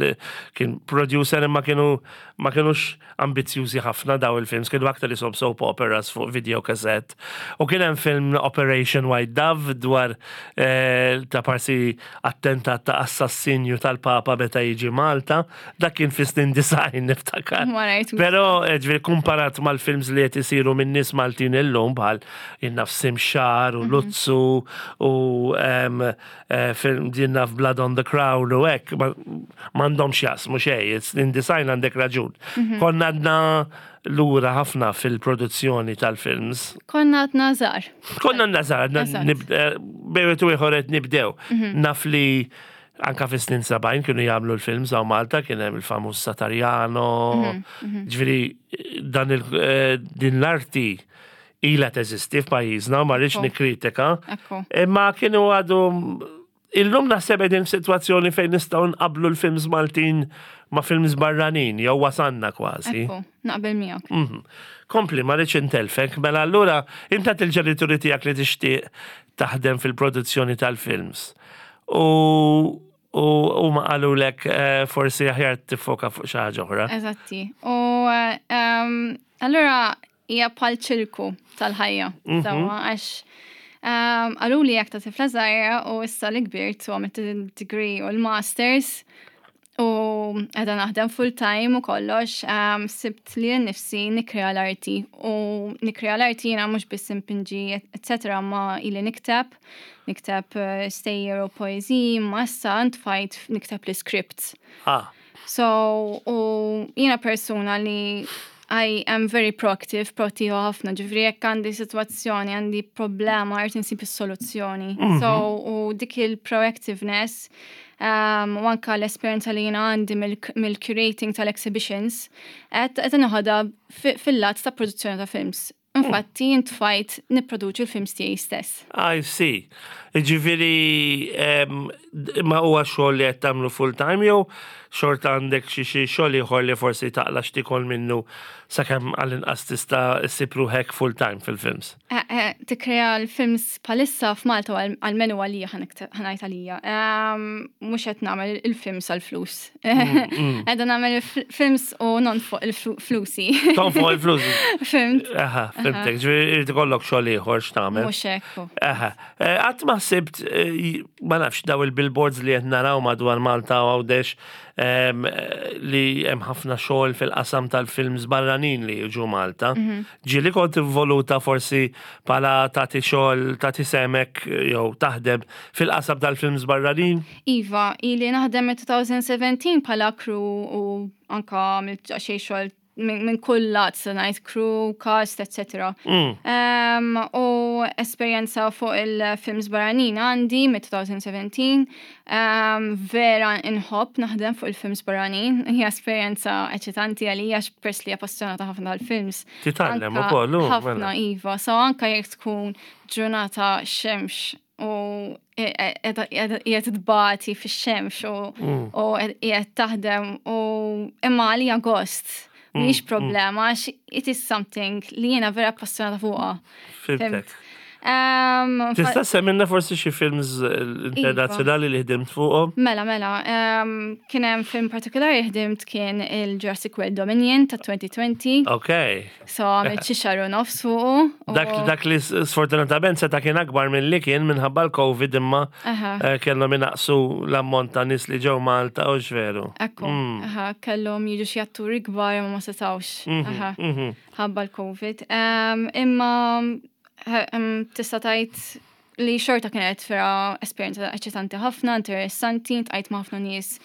kien producer, imma kienu ma kienux ambizzjużi ħafna daw il-films, kienu aktar isom soap operas fuq video cassette. U kien hemm film Operation White Dove dwar eh, ta' parsi attentat ta' assassinju tal-Papa meta jiġi Malta, dak kien fis-snin disgħin niftakar. Ma rajtux. Però, eh, ġifieri kumparat mal-films li qed isiru minn nies Maltin illum bħal jien naf Simxar u Luzzu u em, eh, film jien naf Blood on the Crown u hekk, ma- m'għandhomx jaqsmu xejn, snin disgħin għandek raġun. Konna għadna lura ħafna fil-produzzjoni tal-films. Konna għadna żgħar. Konna għadna żgħar, Eżatt. bejwet u ieħor qed nibdew. Naf li anka fi snin sebgħin kienu jagħmlu l-films hawn Malta, kien hemm il-famuż Satariano, ġifieri dan il, eh, din l-arti ilha teżisti f'pajjiżna, ma rridx Ekku. nikkritika. Ekku. Imma kienu għadu. Illum naħseb qegħdin f'sitwazzjoni fejn nistgħu nqablu l-films Maltin ma' films barranin, jew wasanna kważi. Ekku, naqbel miegħek. Mhm. Kompli, ma rridx intelfek, mela allura inta il-ġenituri tiegħek li tixtieq taħdem fil-produzzjoni tal-films. U u u ma qalulek eh, forsi aħjar tiffoka fuq xi ħaġa oħra. Eżatti. U um, allura hija bħal ċirku tal-ħajja. Mhm. Sewwa, għax um, qaluli hekk ta' tifla żgħira u issa li kbirt u għamilt il-degree u l-masters u għadni naħdem full time u kollox, um, sibt li nifsi nikrea l-arti u nikrea l-arti jiena mhux biss impinġi, et cetera, ma ili nikteb, nikteb eh, stejjer u poeziji, ma issa ntfajt nikteb l-scripts. Ah, So, u jiena persuna li I am very proactive, proattiva ħafna, ġifieri jekk għandi situazzjoni, għandi problema, irrid insib is-soluzzjoni. So, u dik il-proactiveness, um, u anka l-esperjenza li jiena għandi mill- mill-curating tal-exhibitions, qed qed noħodha fil-lat ta' produzzjoni ta' films. Infatti, intfajt nipproduċi l-films tiegħi stess. I see. Ġifieri, em, ma huwa xogħol li qed tagħmlu full time jew xorta għandek xi xi xogħol ieħor li forsi taqla x'tikol minnu sakemm għall-inqas tista' ssib ruħek full time fil-films? Eh, eh, Tikkrea l-films bħalissa f'Malta u għal-menu għalija, ħa ngħid għalija. Mhux qed nagħmel il-films għal-flus. Qegħda nagħmel il-films u nonfoq il-flusi. Tonfoq il-flus. Fhimt? Aha, fhimtek, ġifieri irid ikollok xogħol ieħor x'tagħmel. Mhux hekk. Aha, Eh, qatt ma sibt, eh, ma nafx, daw il-billboards li qed naraw madwar Malta u Għawdex em, eh, li hemm ħafna xogħol fil-qasam tal-films barranin li jiġu Malta. Ġieli kont involuta forsi bħala tagħti xogħol, tagħti sehmek jew taħdem fil-qasam tal-films barranin? Iva, ili naħdem minn elfejn u sbatax bħala crew u anka għamilt xi xogħol minn min kull lat, se ngħid crew, cast, et cetera. Mm. Um, u esperjenza fuq il-films barranin għandi minn elfejn u sbatax. Um, vera inħobb naħdem fuq il-films barranin. Hija esperjenza eċitanti għalija għax pers li appassjonata ħafna tal-films. Titgħallem Anka ukoll, u, ħafna, mela. iva. So anka jekk tkun ġurnata xemx u qiegħed tbati fix-xemx u Mm. u qiegħed taħdem u imma għalija gost. Mm, Mhix problema għax it is something li jiena vera appassionata fuqha. Fhimtek. Um, Tista' semmilna forsi xi films eh, internazzjonali li ħdimt fuqhom? Mela, mela, um, kien hemm film partikolari ħdimt, kien il-Jurassic World Dominion ta' elfejn u għoxrin. Ok. So għamilt xi xahar u nofs fuqu. u- Dak, dak li sfortunatament seta' kien akbar minn li kien minħabba l-Covid, imma Aha. eh, kellhom inaqsu l-ammont ta' nies li ġew Malta, u veru. Ekku, aha, kellhom jiġu xi atturi kbar imma ma setawx. Aha, Mhm. ħabba l-Covid. Um, imma ha- um, tista' tgħid li xorta kienet vera esperjenza eċitanti ħafna, interessanti, ltqajt ma' ħafna nies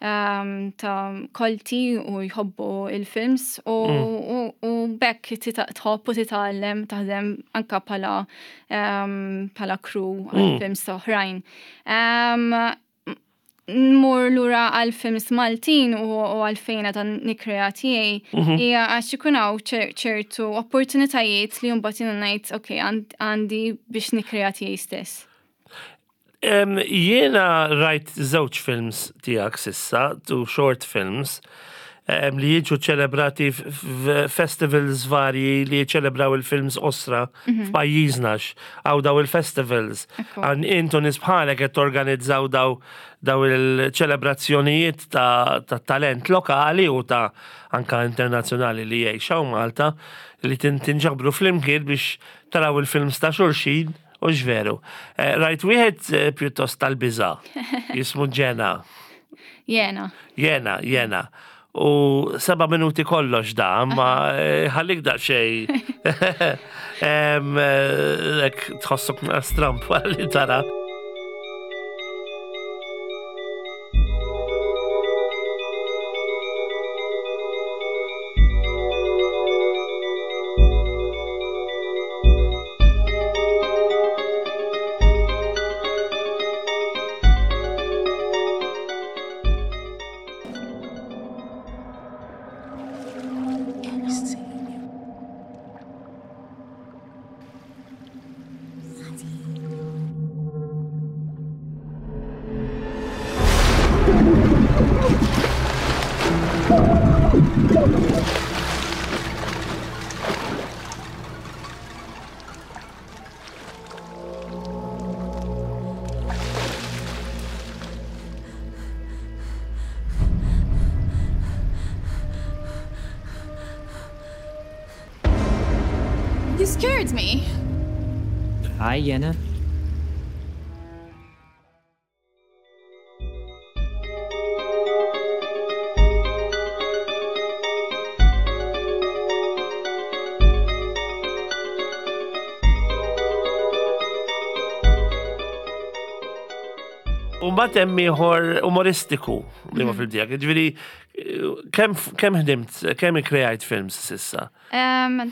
um, ta' kolti u jħobbu il-films u, u, u bekk tita- tħobb u titgħallem taħdem anka bħala um, bħala crew għal films ta' oħrajn. Um, Nmur lura għal films Maltin u, u għalfejn għadni nikkrea tiegħi, hija għax ikun hawn ċer- ċertu opportunitajiet li mbagħad jiena ngħid ok, għand- għandi biex nikkrea tiegħi stess. Em, Jiena rajt żewġ films tiegħek s'issa, two short films, em, li jiġu ċelebrati f'festivals varji li jiċelebraw il-films qosra f'pajjiżna hawn daw il-festivals. Ekku. Għan intu nies bħalek qed torganizzaw daw daw il-ċelebrazzjonijiet ta', ta' talent lokali u ta' anka internazzjonali li jgħixu Malta li tin- tinġabru flimkien biex taraw il-films ta' xulxin u ġveru. Eh, Rajt wieħed eh, pjuttost tal-biża, jismu Ġena. Jena. Jena, jena. U seba minuti kollox da, ma eh, ħallik da xej. Em, eh, Ek tħossok stramp li tara. Can see you. scared me. Hi, Jenna. U mbagħad hemm ieħor umoristiku li ma fil tiegħek. Ġifieri kemm kemm ħdimt, kemm ikkrejajt films s'issa? Um,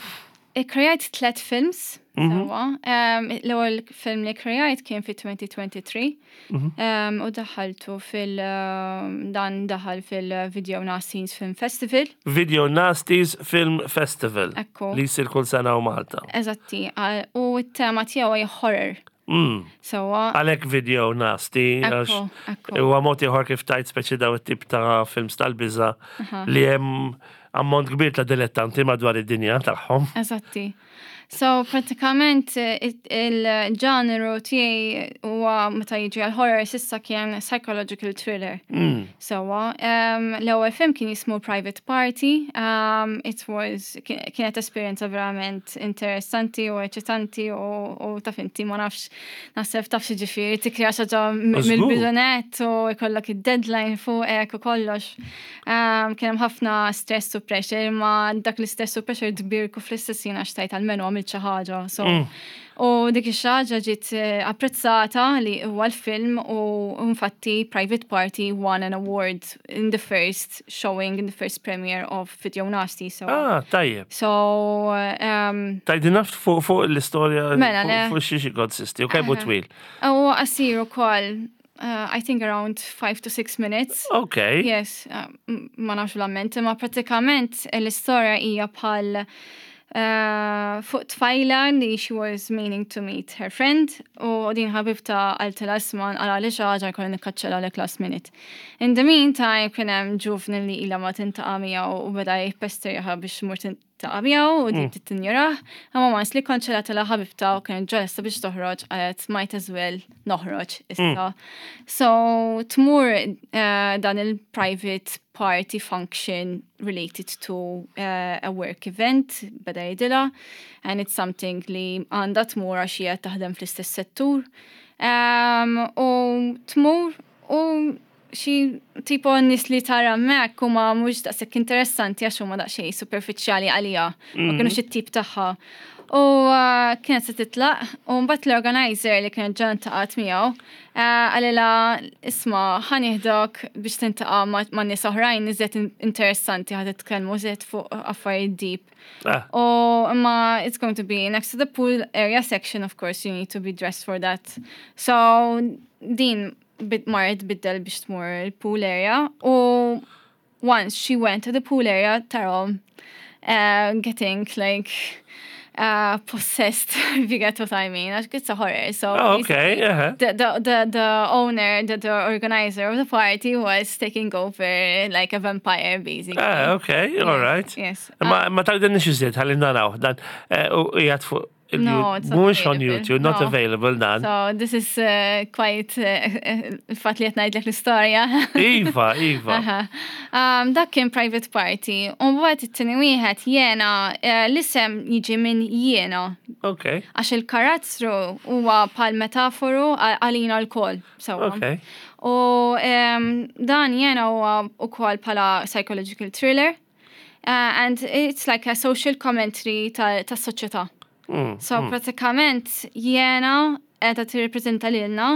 Ikkrejajt tlet films, sewwa. Um, L-ewwel film li krejajt kien fi twenty twenty-three um, u daħaltu fil- um, dan daħal fil-Video Nasties Film Festival. Video Nasties Film Festival. Ekku. Li jsir kull sena u Malta. Eżatti, għal- u t-tema tiegħu hija horror. Mm. Sewwa. Għalek video nasty, għax Ekku, ekku. huwa mod ieħor kif tajt speċi daw it-tip ta' films tal-biża li hemm ammont kbir ta' dilettanti madwar id-dinja tagħhom. Eżatti. So, pratikament eh, it- il-ġeneru tiegħi huwa meta jiġi għal horror s'issa kien psychological thriller. Mm. So, um, l-ewwel film kien jismu Private Party. Um, it was kien- kienet esperjenza verament interessanti u eċitanti u, u taf inti, ma nafx, naħseb taf ġifieri tikkrea xi ħaġa m- Żgur. mill-bidu nett u jkollok id-deadline fuqek u kollox. Um, kien hemm ħafna stress u pressure, ma dak l-istress u pressure tbirku fl-istess jien għax tajt almenu għamilt xi ħaġa. So, u dik ix ħaġa ġiet eh, apprezzata li huwa l-film u infatti Private Party won an award in the first showing, in the first premiere of Video Nasty. So, Ah, tajjeb. so um, Tgħidilna fuq fuq l-istorja Mela, le. fuq fuq xiex konsisti u kemm hu twil. U qasir ukoll, uh, I think around five to six minutes. Ok. Yes, uh, m- ma nafx l-amment, ma pratikament l-istorja hija bħal uh, fuq tfajla li she was meaning to meet her friend u din ħabibta qaltilha, "Isma', għala li ħaġa jkolli nikkanċella lek last minute." In the meantime kien hemm ġuvni li ilha ma tiltaqa' miegħu u beda jippesterjaha biex mur tiltaqa' miegħu u din tinjorah. Imma once li kkanċellatilha ħabibta u kienet ġolesta biex toħroġ, qalet, "Might as well noħroġ issa." So tmur uh, dan il-private party function related to uh, a work event, beda jgħidilha, and it's something li għandha tmur għax hija taħdem fl-istess settur. Um, u tmur u xi tipo nies li tara hemmhekk huma mhux daqshekk interessanti għax huma daqsxejn superfiċjali għalija, ma kinux it-tip tagħha. U uh, kienet se titlaq, u mbagħad l-organizer li kienet ġa ltaqgħet miegħu uh, qalilha, "Isma', ħa nieħdok biex tiltaqa' ma' ma' nies oħrajn iżjed in- interessanti, ħa titkellmu iżjed fuq affarijiet deep." Ah, U imma it's going to be next to the pool area section, of course, you need to be dressed for that. So din bit marret tbiddel biex tmur il-pool area u once she went to the pool area tarahom uh, getting like uh, possessed, if you get what I mean. Għax it's a horror. So Oh, okay, basically, uh-huh. the, the, the, the owner, the, the organizer of the party was taking over like a vampire, basically. Ah, okay, all right. Yes. Ma ma tgħidilniex iżjed ħalli naraw dan eh, u qiegħed fuq il- No, it's not mhuwiex on available. YouTube, not No. available dan. So this is uh, quite uh, il-fatt li qed ngħidlek l-istorja. Iva, iva. Aha. Um, dak kien Private Party. U mbagħad it-tieni wieħed jiena, eh, l-isem jiġi minn jiena Okay, għax il-karattru huwa bħal metaforu għal- għalina lkoll. Sewwa. okay. U um, dan jiena huwa ukoll bħala psychological thriller. Uh, and it's like a social commentary tas-soċjetà. Mm, So pratikament jiena qiegħda tirrepreżenta lilna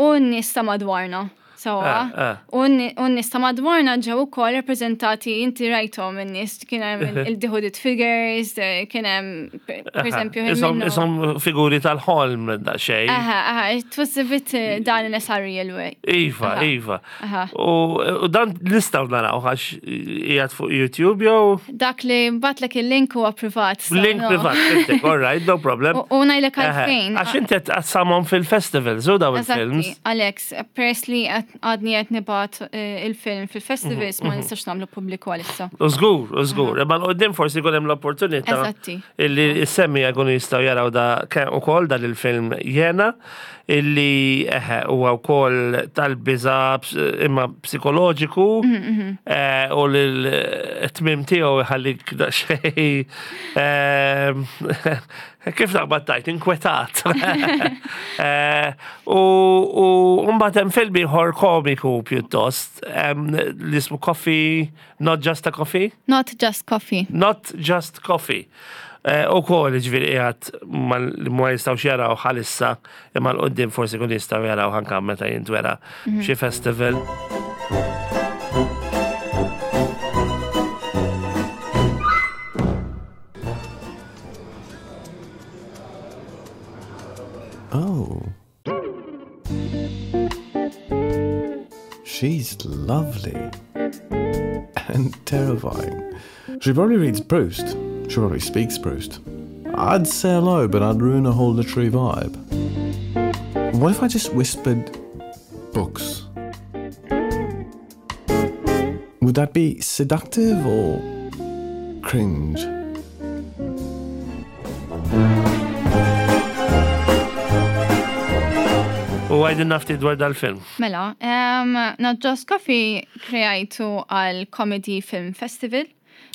u n-nies ta' madwarna. Sewwa. Ah, ah. U n-nies ta' madwarna ġew ukoll rappreżentati, inti rajthom in-nies, kien hemm il-the hooded figures, eh, kien hemm per per eżempju Isom, minnu- isom figuri tal-ħolm da xej. Aha, aha, it was a bit uh, dan in a surreal way. Iva, Aha. iva. Aha. U u dan nistgħu naraw għax qiegħed fuq YouTube jew Dak li bgħattlek il-link huwa privat. So link no. privat, fhimtek, all right, no problem. U u ngħidlek Aha. għalfejn. Għax inti qed tqassamhom fil-festivals u daw il-films. Eżatti, Alex, peress li qed għadni qed nibgħat eh, il-film fil-festivals, ma nistax nagħmlu pubbliku għalissa. U żgur, u żgur. Imma 'l quddiem forsi jkun hemm l-opportunità Eżatti. illi s-semmiegħa jkunu jistgħu jaraw da ukoll dan il-film Jena, illi eħe huwa wkoll tal-biża imma psikoloġiku eh, u l-tmim tiegħu jħallik daqsxejn eh, kif naqbad tajt, inkwetat. Eh, U u mbagħad hemm film ieħor komiku pjuttost em, li ismu Coffee, Not Just a Coffee? Not Just Coffee. Not Just Coffee. Eh, U kol ġifieri qiegħed ma li ma jistgħux jaraw bħalissa, imma 'l quddiem forsi kun jistgħu jaraw anka meta jintwera xi festival. Oh. She's lovely. And terrifying. She probably reads Proust. She probably speaks Proust. I'd say hello, but I'd ruin a whole literary vibe. What if I just whispered books? Would that be seductive or cringe? U għidilna ftit dwar dal-film. Mela, um, Not Just Coffee kreajtu għal Comedy Film Festival.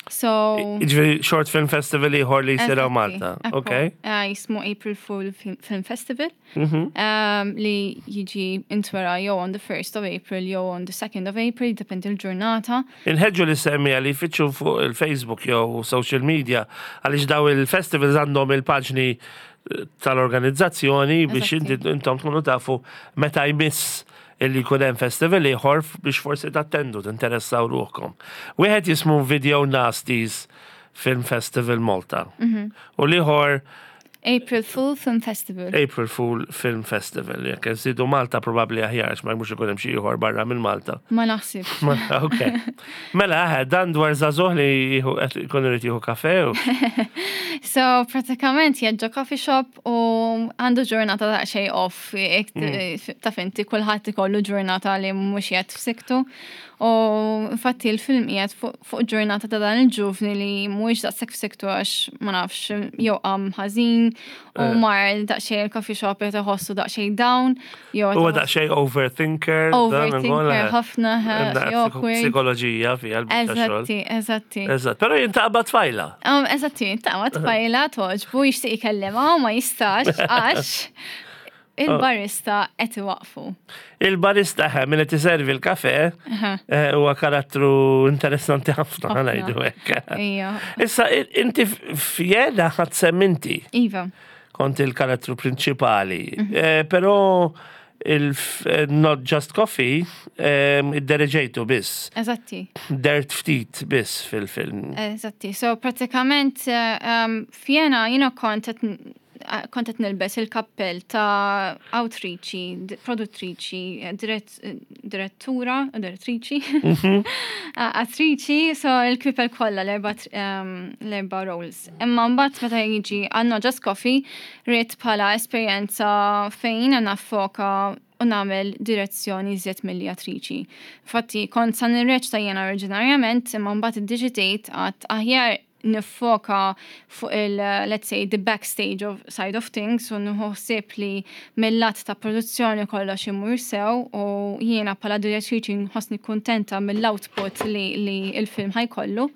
So, Ġifieri short film festival ieħor li jsir hawn Eżatti, Malta. ekku. Ok. Uh, jismu April Fool Film, Film Festival Mhm. um, li jiġi intwera jew on the first of April jew on the second of April, depend il-ġurnata. Inħeġġu lis-semmiegħa li jfittxu fuq il-Facebook jew social media, għaliex daw il-festivals għandhom il-paġni eh, tal-organizzazzjoni biex Eżatti. inti intom tkunu tafu meta jmiss illi jkun hemm festival ieħor biex forsi tattendu, tinteressaw ruħkom. Wieħed jismu Video Nasties Film Festival Malta. U l-ieħor April Fool Film Festival. April Fool Film Festival. Jekk nżidu Malta probabbli aħjar, għax ma mhux ikun hemm xi ieħor barra minn Malta. Ma naħsib. Ma- Ok. Mela, eħe, dan dwar żagħżugħ li jieħu- qed ikun irid jieħu kafe u So, pratikament ġo coffee shop u għandu ġurnata daqsxejn off, jek taf inti kulħadd ikollu ġurnata li mhux qiegħed f'siktu. U infatti il-film qiegħed fuq fuq ġurnata ta' dan il-ġuvni li mhuwiex daqshekk f'siktu għax ma nafx jew qam ħażin u mar daqsxejn il-coffee shop qed iħossu daqsxejn down jew qed huwa iħossu daqsxejn overthinker. dan overthinker ukoll, eh, ħafna hemm xi awkward. Psikoloġija fiha l-biċċa xogħol. Eżatti, eżatti. Eżatt, però jiltaqa' tfajla. Um, eżatti, ta' ma tfajla togħġbu, jixtieq jkellimha u ma jistax għax il-barista qed iwaqfu. Il-barista ħe min qed iservi l-kafe eh, huwa karattru interessanti ħafna, Ħafna. ngħidu hekk. Ija. Issa inti f'Jena ħadt sehem inti Iva. kont il-karattru prinċipali, Eh, però il-Not Just Coffee eh, iddereġejtu biss, Eżatti, dert ftit biss fil-film. Eżatti. So pratikament eh, um, f'Jena jiena kont qed eh, kont qed nilbes il-kappell ta' awtriċi, d- produttriċi, eh, dirett- eh, direttura, direttriċi, eh, attriċi, so il-kpipel kollha l-erba' tr- um, l-erba' roles. Imma mbagħad meta jiġi għal Not Just Coffee, ridt bħala esperjenza fejn jiena naffoka u nagħmel direzzjoni iżjed milli attriċi. Infatti kont sa nirreċta jiena oriġinarjament, imma mbagħad iddeċidejt għat aħjar nifoka fuq il, let's say, the backstage of side of things u nħossib li mill-lat ta' produzzjoni kollox imur sew u jiena bħala direttriċi nħossni kuntenta mill-output li, li il-film ħa jkollu.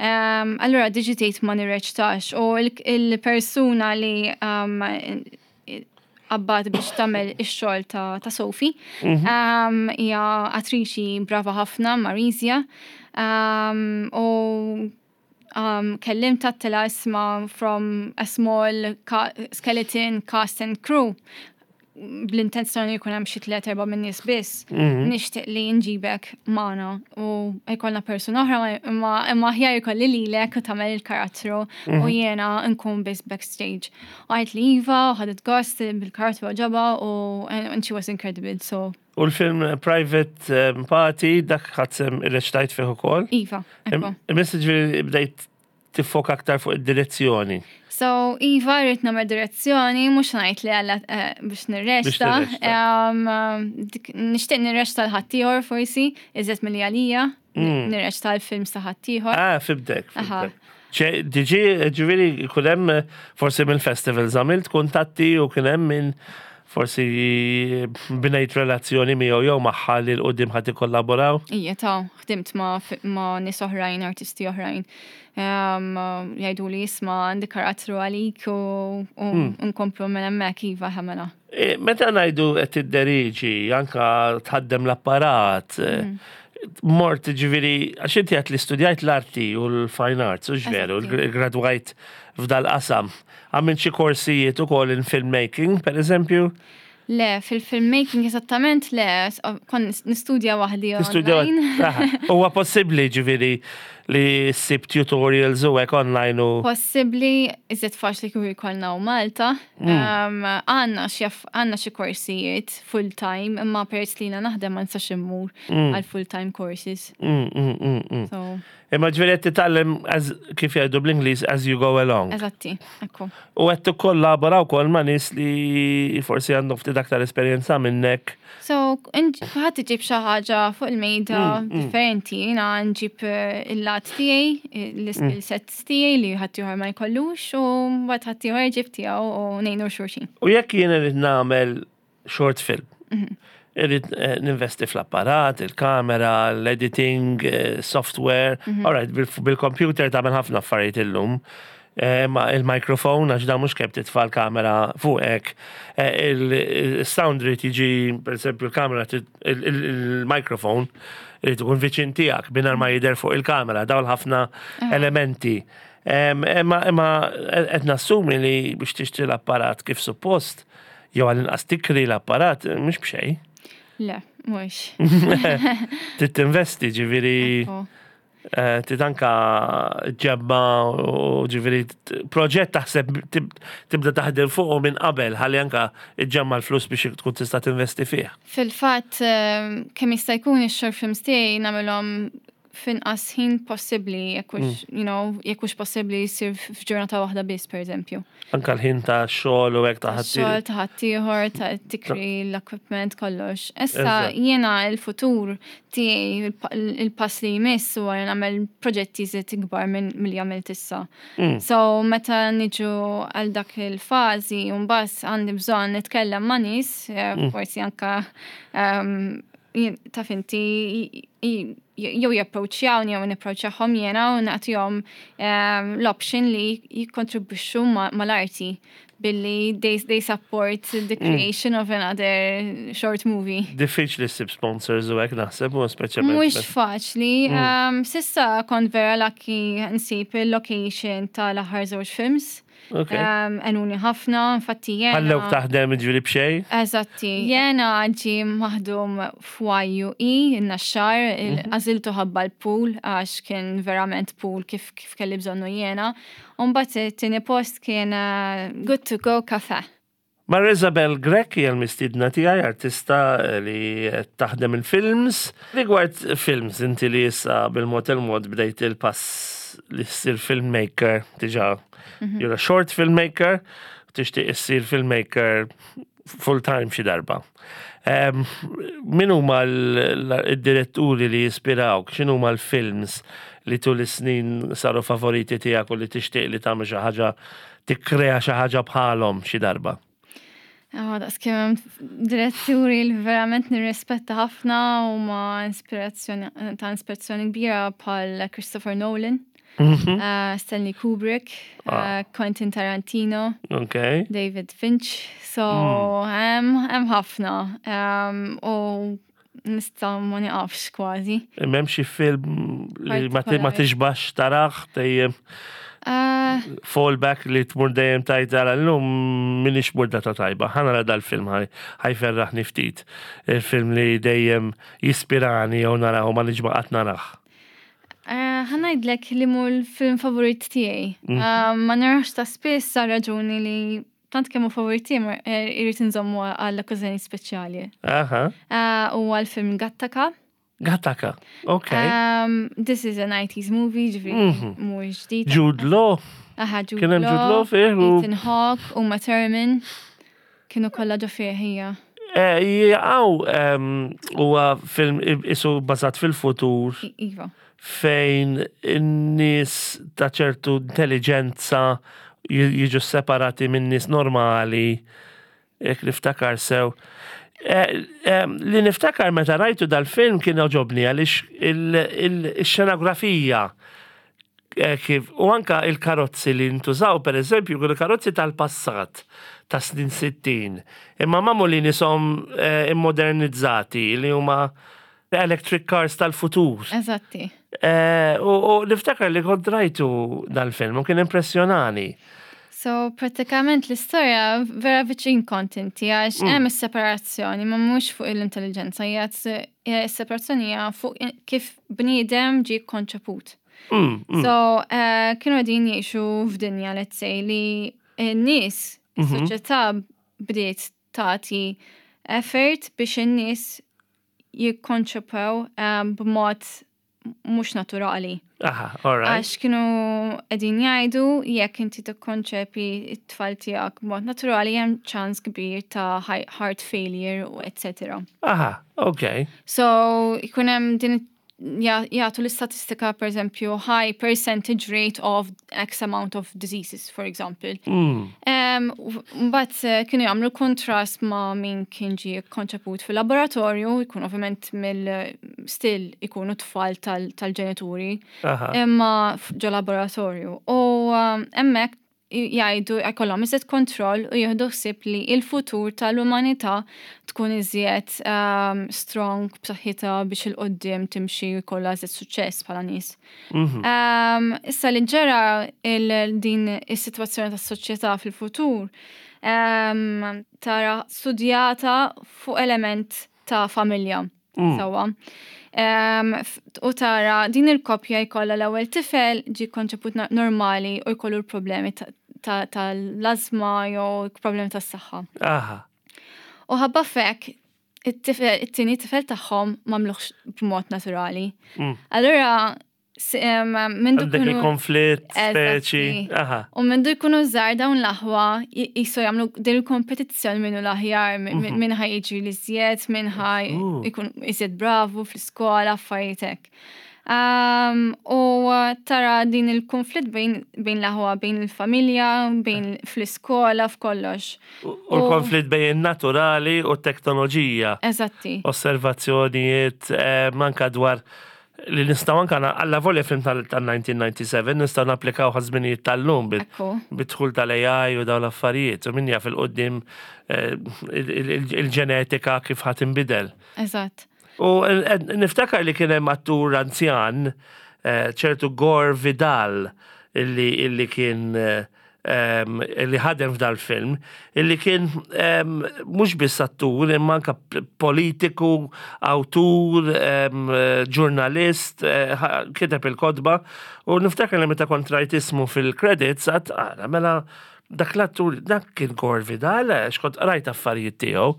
Um, allura ddeċidejt ma nirreċtax u il- il-persuna li um, qabbat biex tagħmel ix-xogħol ta', ta' Sophie. Um, hija attriċi brava ħafna, Marisia. Um, u um, kellimtha tela isma from a small ca skeleton cast and crew bl-intenzjoni jkun hemm xi tliet erba' minn nies biss, nixtieq li nġibek magħna u jkollna persuna oħra imma imma aħjar jkolli lilek u tagħmel il-karattru u jiena nkun biss backstage. U għedt li iva, u ħadet gost bil-karattru għoġobha u and she was incredible, so U l-film Private um, Party, dak ħadt sehem irreċtajt fih ukoll. iva, ekku. Imma ġifieri bdejt tiffoka aktar fuq id-direzzjoni? So, iva, rrid nagħmel direzzjoni, mhux ngħid li għalla eh, biex nirreċta. Biex tirreċta. Um, dik- Nixtieq nirreċta lil ħaddieħor forsi, iżjed milli għalija, nirreċta l-film ta' ħaddieħor. Ah, fhimtek, Aha. fhimtek. ċe, diġi, ġifieri, kien hemm forsi mill-festivals għamilt kuntatti u kien hemm minn forsi bnejt relazzjoni miegħu jew magħha li 'l quddiem ħa tikkollaboraw? Ija, ta' ħdimt ma' ma' nies oħrajn, artisti oħrajn. Um, jgħidu li isma' għandi karattru għalik u u nkomplu minn hemmhekk iva ħamela. E, Meta ngħidu qed tidderiġi, anka tħaddem l-apparat, eh, mort ġifieri, għax inti għedt li studjajt l-arti u l-fine arts, u veru, Eżatti. gradwajt f'dal-qasam. Għamilt xi korsijiet ukoll in filmmaking, per eżempju? Le, fil-filmmaking eżattament le, s- kont nistudja waħdi Tistudja online. Aha. Huwa possibbli ġifieri li ssib tutorials u hekk online u. Possibbli, iżjed faċli kieku jkollna u Malta. Um, Għandna xi għandna xi korsijiet full-time, imma peress li jiena naħdem ma nistax immur għal full-time courses. Mm, mm, mm, mm. So, Imma ġifieri qed titgħallem as- kif jgħidu bl-Ingliż as you go along. eżatti, ekku. U qed tikkollabora wkoll ma' nies li forsi għandhom ftit aktar esperjenza minnek. So, ħadd iġib xi ħaġa fuq il-mejda differenti, jiena nġib eh, il-lat tiegħi, l-skill sets tiegħi li ħadd ieħor ma jkollux u mbagħad ħadd ieħor iġib tiegħu u ngħinu xulxin. U jekk jien irrid nagħmel short film, irrid eh, ninvesti fl-apparat, il-kamera, l-editing, eh, software. All right, bil- bil-computer tagħmel ħafna affarijiet illum. Eh, Ma il-mikrofon, għax da mhux kemm titfa' l-kamera fuqek. Eh, Il-sound rrid jiġi, per esempio, il-kamera, tit- il- il- il-mikrofon irid ikun viċin tiegħek mingħajr ma jidher fuq il-kamera, dawn ħafna elementi. Em, Imma imma qed nassumi li biex tixtri l-apparat kif suppost, jew għall-inqas tikri l-apparat, mhux b'xejn. Le, mhux. Trid tinvesti ġifieri Ekku. eh, trid anka ġebba u ġifieri t- proġett taħseb tib- tibda taħdem fuqu minn qabel ħalli anka iġġemma l-flus biex tkun tista' tinvesti fih. Fil-fatt, ehm, kemm jista' jkun ix-short films tiegħi nagħmilhom f'inqas ħin possibbli, jekk hux, you know, jekk hux possibbli jsir f'ġurnata waħda biss, per eżempju. Anka l-ħin ta' xogħol u hekk ta' Xogħol ħadd. ta' ħaddieħor, ta' tikri l-equipment kollox. Issa Eżatt. jiena il-futur tiegħi il-pa- il-pass li jmiss huwa li nagħmel proġetti iżjed ikbar minn milli għamilt issa. So meta niġu għal dak il-fażi mbagħad għandi bżonn nitkellem ma' nies, eh, forsi anka um, jien- taf inti i- jew japproċċjawni jew nipproċċjahom jiena u nagħtihom um, l-option li jikkontribwixxu ma- mal-arti billi they, they support the creation of another short movie. Diffiċli ssib sponsors u hekk naħseb u speċjalment. Mhux faċli. Um, s'issa kont vera lucky nsib il-location tal-aħħar żewġ films. Ok. Um, Għenuni ħafna, infatti jena. Ħallewk taħdem ġifieri b'xejn? Eżatti. Jena ġi maħdum f'YUE, in-Naxxar, għażiltu ħabba l-pool, għax kien verament pool kif, kif kelli bżonnu jena. Umbagħad it-tieni post kien uh, Good to Go Cafe. Mar Isabel Grech hija l-mistiedna tiegħi artista li taħdem il-films. Rigward films, inti li issa bil-mod il-mod bdejt il-pass li ssir filmmaker, diġà you're a short filmmaker, tixtieq issir filmmaker full time xi darba. Um, min huma l-diretturi li jispirawk, x'inhuma l-films li tul is-snin saru favoriti tiegħek u li tixtieq li tagħmel xi ħaġa tikkrea xi ħaġa bħalhom xi darba? Oh, daqs kemm diretturi li verament nirrispetta ħafna u ma inspirazzjoni ta' inspirazzjoni kbira bħal Christopher Nolan, uh, Stanley Kubrick, uh, Quentin Tarantino, Ok. David Finch. So, hemm hemm ħafna. Um, u nista' ma niqafx kważi. M'hemm xi film li ma ti- ma Partikolari. tixbax tarah dejjem Uh, fallback li tmur dejjem tajt għala l-lum minix murdata tajba. Ħa nara dal-film ħaj ħajferraħni ftit. Il-film li dejjem jispirani jew narah u ma nixba qatt narah. Uh, ħa ngħidlek li mhu l-film favorit tiegħi. Uh, ma narax ta' spiss għal raġuni li tant kemm hu favorit tiegħi ma- eh, irrid inżommu għal okkażjoni speċjali. Aha, Uh, U għal film Gattaca. Gattaca, ok. Um, this is a nineties movie, ġifieri Mhm. mhux ġdid. Jude Law. Aha, Jude Kien hemm Jude Law fih u- Ethan Hawke, Uma Thurman. Kienu kollha ġo fih hija. Eh, Jgħaw huwa film isu bażat fil-futur I- Iva. fejn in-nies ta' ċertu intelligenza ji- jiġu separati minn nies normali, jekk niftakar sew. Eh, eh, Li niftakar meta rajtu dal-film kien għoġobni għaliex il-xenografija eh, kif u anka il-karozzi li ntużaw, per eżempju, kienu karozzi tal-passat ta' snin sittin. Imma magħmulin qishom eh, immodernizzati li huma electric cars tal-futur. Eżatti. Eh, U u niftakar li kont rajtu dal-film u kien impressjonani. So, pratikament l-istorja vera viċin kont inti, għax hemm is-separazzjoni, ma mhux fuq l-intelligenza, hija is-separazzjoni hija fuq kif bniedem ġie konċeput. Mm, mm. So, eh, kienu qegħdin jgħixu f'dinja, let's say, li n-nies, is-soċjetà bdiet tagħti effort biex in-nies jikkonċepew eh, b'mod mhux naturali. Aha, all right. Għax kienu qegħdin jgħidu jekk inti tikkonċepi it-tfal tiegħek b'mod naturali, hemm ċans kbir ta' hi- heart failure u et cetera. Aha, ok. So jkun hemm din ja- jagħtu l-istatistika, per eżempju, high percentage rate of X amount of diseases, for example. Mm. Um, Mbagħad eh, kienu jagħmlu kontrast ma' min kien ġie konċeput fil-laboratorju, jkun ovvjament mill-still ikunu tfal tal- tal-ġenituri, Aha. imma f- ġo laboratorju. U um, hemmhekk jgħidu jkollhom iżjed kontroll u jieħdu ħsieb li il-futur tal-umanità tkun iżjed um, strong, b'saħħitha, biex 'il quddiem timxi u jkollha iżjed suċċess bħala nies. Mhm. Um, issa li ġara il- din is-sitwazzjoni tas-soċjetà fil-futur um, tara studjata fuq element ta' familja. Mm. Sawa. Um, f- u tara din il-koppja jkollha l-ewwel tifel ġi konċeput na- normali u jkollu l-problemi ta- tal-azma jew problemi tas-saħħa. Aha. U ħabba f'hekk it-tifel, it-tieni tifel tagħhom m'għamluhx b'mod naturali. Mm. Allura s- em, mindu Għandek jkunu il-konflitt, speċi. Eżatti. Aha. U mindu jkunu żgħar dawn l-aħwa jisu jagħmlu din il-kompetizzjoni minnu l-aħjar, min min ħa jiġi l-iżjed, min ħa Uh. jkun iżjed bravu fl-iskola, affarijiet hekk. Um, u tara din il-konflitt bejn, bejn l-aħwa, bejn il-familja, bejn fl-iskola, f'kollox. U u l-konflitt bejn il-naturali u t-teknoloġija. Eżatti. Osservazzjonijiet eh, manka dwar li nistgħu anka na- alla volja film tal-elf disa' mija u disgħa u disgħin nistgħu napplikaw għaż-żminijiet tal-lum bil- Ekku. bidħul tal-A I u dawn l-affarijiet. U min jaf 'il quddiem eh, il- il- il-ġenetika kif ħa tinbidel. Eżatt. U eh, niftakar li kien hemm attur anzjan, eh, ċertu Gore Vidal, illi, illi kien eh, em, illi ħadem f'dal film, illi kien em, mhux biss attur, imma anka p- politiku, awtur, em, eh, ġurnalist, eh, ħa- kiteb il-kotba, u niftakar li meta kont rajt ismu fil-credits, għedt, "Ara, mela dak l-attur, dak kien Gore Vidal, għax kont rajt affarijiet tiegħu."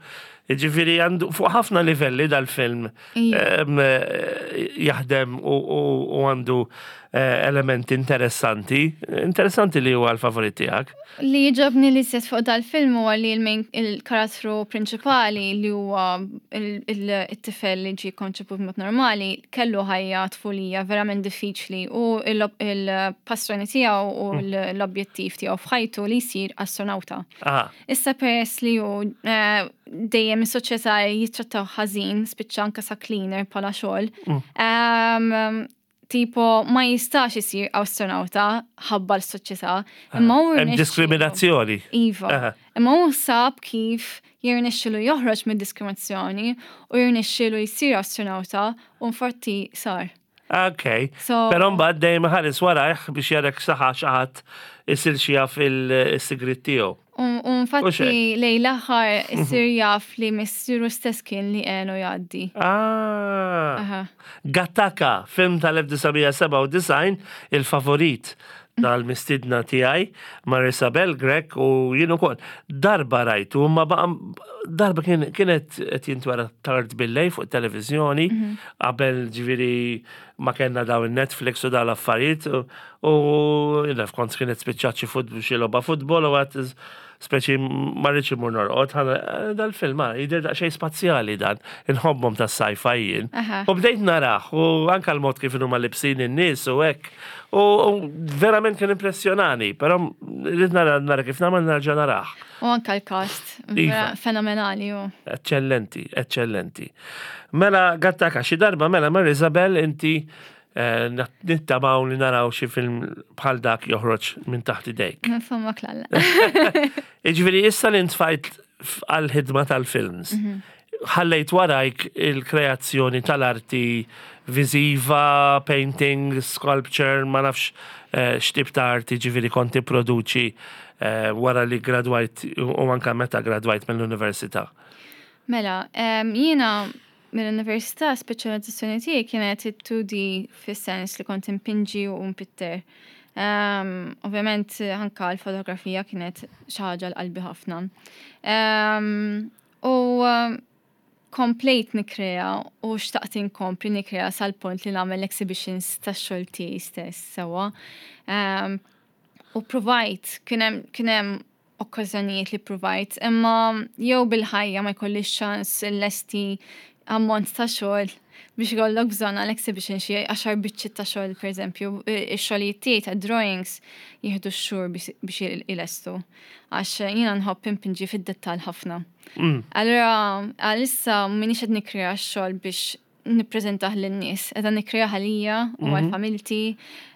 Ġifieri għandu fuq ħafna livelli dal-film Ija. em, eh, jaħdem u, u, u għandu eh, elementi interessanti. Interessanti li huwa l-favorit tiegħek. Li jogħġobni li set fuq dal-film huwa li l-main il-karattru prinċipali, li huwa il- il- it-tifel li ġie konċeput mod normali, kellu ħajja tfulija verament diffiċli u il- il-passjoni tiegħu u l-objettiv tiegħu f'ħajtu li jsir astronauta. Ah, Issa peress li hu eh, dejjem is-soċjetà jittrattaw ħażin, spiċċa anka sa cleaner bħala xogħol. Em, tipo ma jistax isir astronauta ħabba l-soċjetà. Imma hu Hemm rnexxielu- diskriminazzjoni. Iva. Aha. Imma hu sab kif jirnexxilu joħroġ mid-diskriminazzjoni u jirnexxilu jsir astronauta u infatti sar. Ok. So- Però mbagħad dejjem ħares warajh biex jarek saħa xi ħadd isir xi jaf il-sigrit tiegħu. U u infatti xek. lejn l-aħħar isir jaf li missieru stess kien li għenu jgħaddi. Ah. Aha. Gattaca, film tal-elf disa' mija sebgħa u disgħin, il-favorit Tal-mistidna tiegħi Marisabel Grech u jien ukoll darba rajtu, ma baqa darba kien kienet qed jintwera tard billejl fuq televiżjoni Mhm. qabel ġifieri ma kellna daw il-Netflix u daw l-affarijiet u u jiena kont kienet spiċċat xi futbol xi logħba futbol u għat speċi ma rridx imur norqod, ħana dal-film ah, jidher daqsxejn spazjali dan, inħobbhom tas-sci-fi jien. Aha. U bdejt narah, u anka l-mod kif huma libsin in-nies u hekk. U u verament kien impressjonani, però rrid nara nara kif nagħmel nerġa' narah. U anka l-cast, Iva. vera fenomenali u. Eccellenti, eccellenti. Mela, Gattaca, xi darba, mela, Mar Isabel, inti eh, nittamaw li naraw xi film bħal dak joħroġ minn taħt idejk. Fomok lalla. Iġifieri, issa li ntfajt għal-ħidma tal-films, ħallejt warajk il-kreazzjoni tal-arti viziva, painting, sculpture, ma nafx eh, x'tip ta' arti ġifieri konti produċi eh, wara li gradwajt u anka meta gradwajt mill-università. Mela, em, jiena mill-università speċjalizzazzjoni tiegħi kienet it-two D fis-sens li kont impinġi u npitter. Um, ovvjament anka l-fotografija kienet xi ħaġa l-qalbi ħafna. Um, u um, komplejt nikrea u xtaqt inkompli nikrea sal-punt li nagħmel exhibitions tax-xogħol tiegħi stess sewwa. Um, u provajt, kien hemm kien hemm okkażjonijiet li provajt, imma jew bil-ħajja ma jkollix ċans lesti ammont ta' xogħol biex ikollok bżonn għal exhibition xi għaxar biċċiet ta' xogħol pereżempju, ix-xogħlijiet tiegħi ta' drawings jieħdu x-xhur biex biex ilestu. Għax jiena nħobb impinġi fid-dettall ħafna. Allura għalissa m'iniex qed nikkrea x-xogħol biex nippreżentah lin-nies, qiegħda nikkrea għalija u għal familti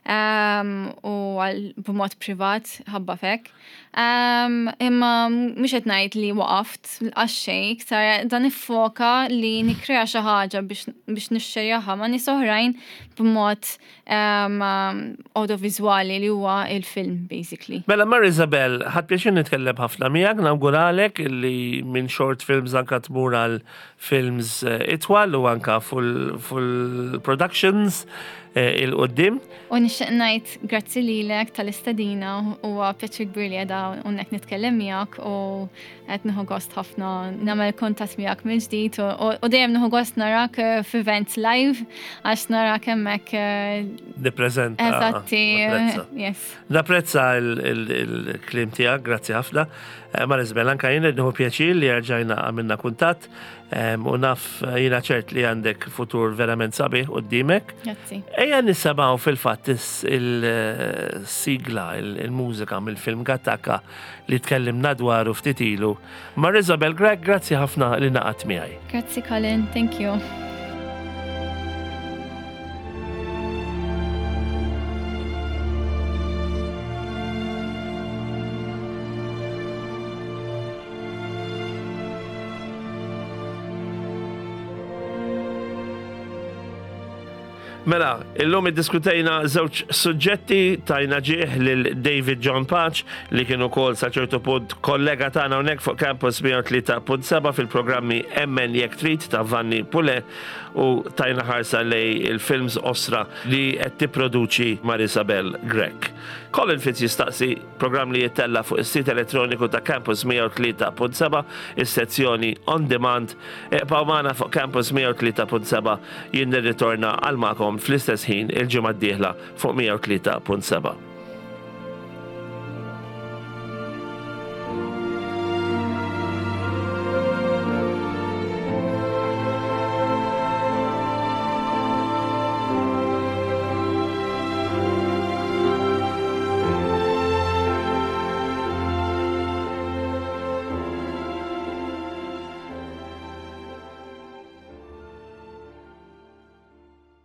um, u għal b'mod privat ħabba fek. Um, imma mhux qed ngħid li waqaft għax xejn, iktar dan niffoka li nikkrea xi ħaġa biex biex nixxerjaha ma' nies oħrajn b'mod um, audiovizuali li huwa il-film basically. Mela, Mar Isabel, ħadt pjaċir nitkellem ħafna miegħek, nawguralek illi minn short films anka tmur għal films eh, itwal u anka full, full productions eh, il-qoddim. U nixtieq ngħid grazzi lilek tal-istedina, huwa pjaċir kbir li qiegħda hawnhekk nitkellem miegħek u qed nieħu gost ħafna nagħmel kuntatt miegħek mill-ġdid u u dejjem nieħu gost narak eh, f'events live għax narak hemmhekk eh, Nippreżenta. Eżatti, Napprezza. yes. Napprezza il-kliem tiegħek, grazzi ħafna. Eh, Mar Isabel, anka jien nieħu pjaċir li rġajna għamilna kuntatt em, u naf eh, jiena ċert li għandek futur verament sabiħ qudiemek. Grazzi. Ejja nisimgħu fil-fatt is- il-sigla, il-mużika mill-film Gattaca li tkellimna dwaru ftit ilu. Mar Isabel Grech, grazzi ħafna li ngħaqadt miegħi. Grazzi Colin, thank you. Mela, illum iddiskutejna żewġ suġġetti, tajna ġieħ lil David John Patch li kien ukoll sa ċertu punt kollega tagħna hawnhekk fuq Campus mija u tlieta punt seba' fil-programmi Emmen Jekk Trid ta' Vanni Pule u tajna ħarsa lejn il-films osra li qed tipproduċi Marisabel Grech. Colin Fitz jistaqsi, programm li jittella fuq is-sit elettroniku ta' Campus mija u tlieta punt seba', is-sezzjoni On Demand. Ibqgħu magħna fuq Campus mija u tlieta punt seba', jien nirritorna għal magħkom fl-istess ħin il-ġimgħa d-dieħla fuq mija u tlieta punt seba'.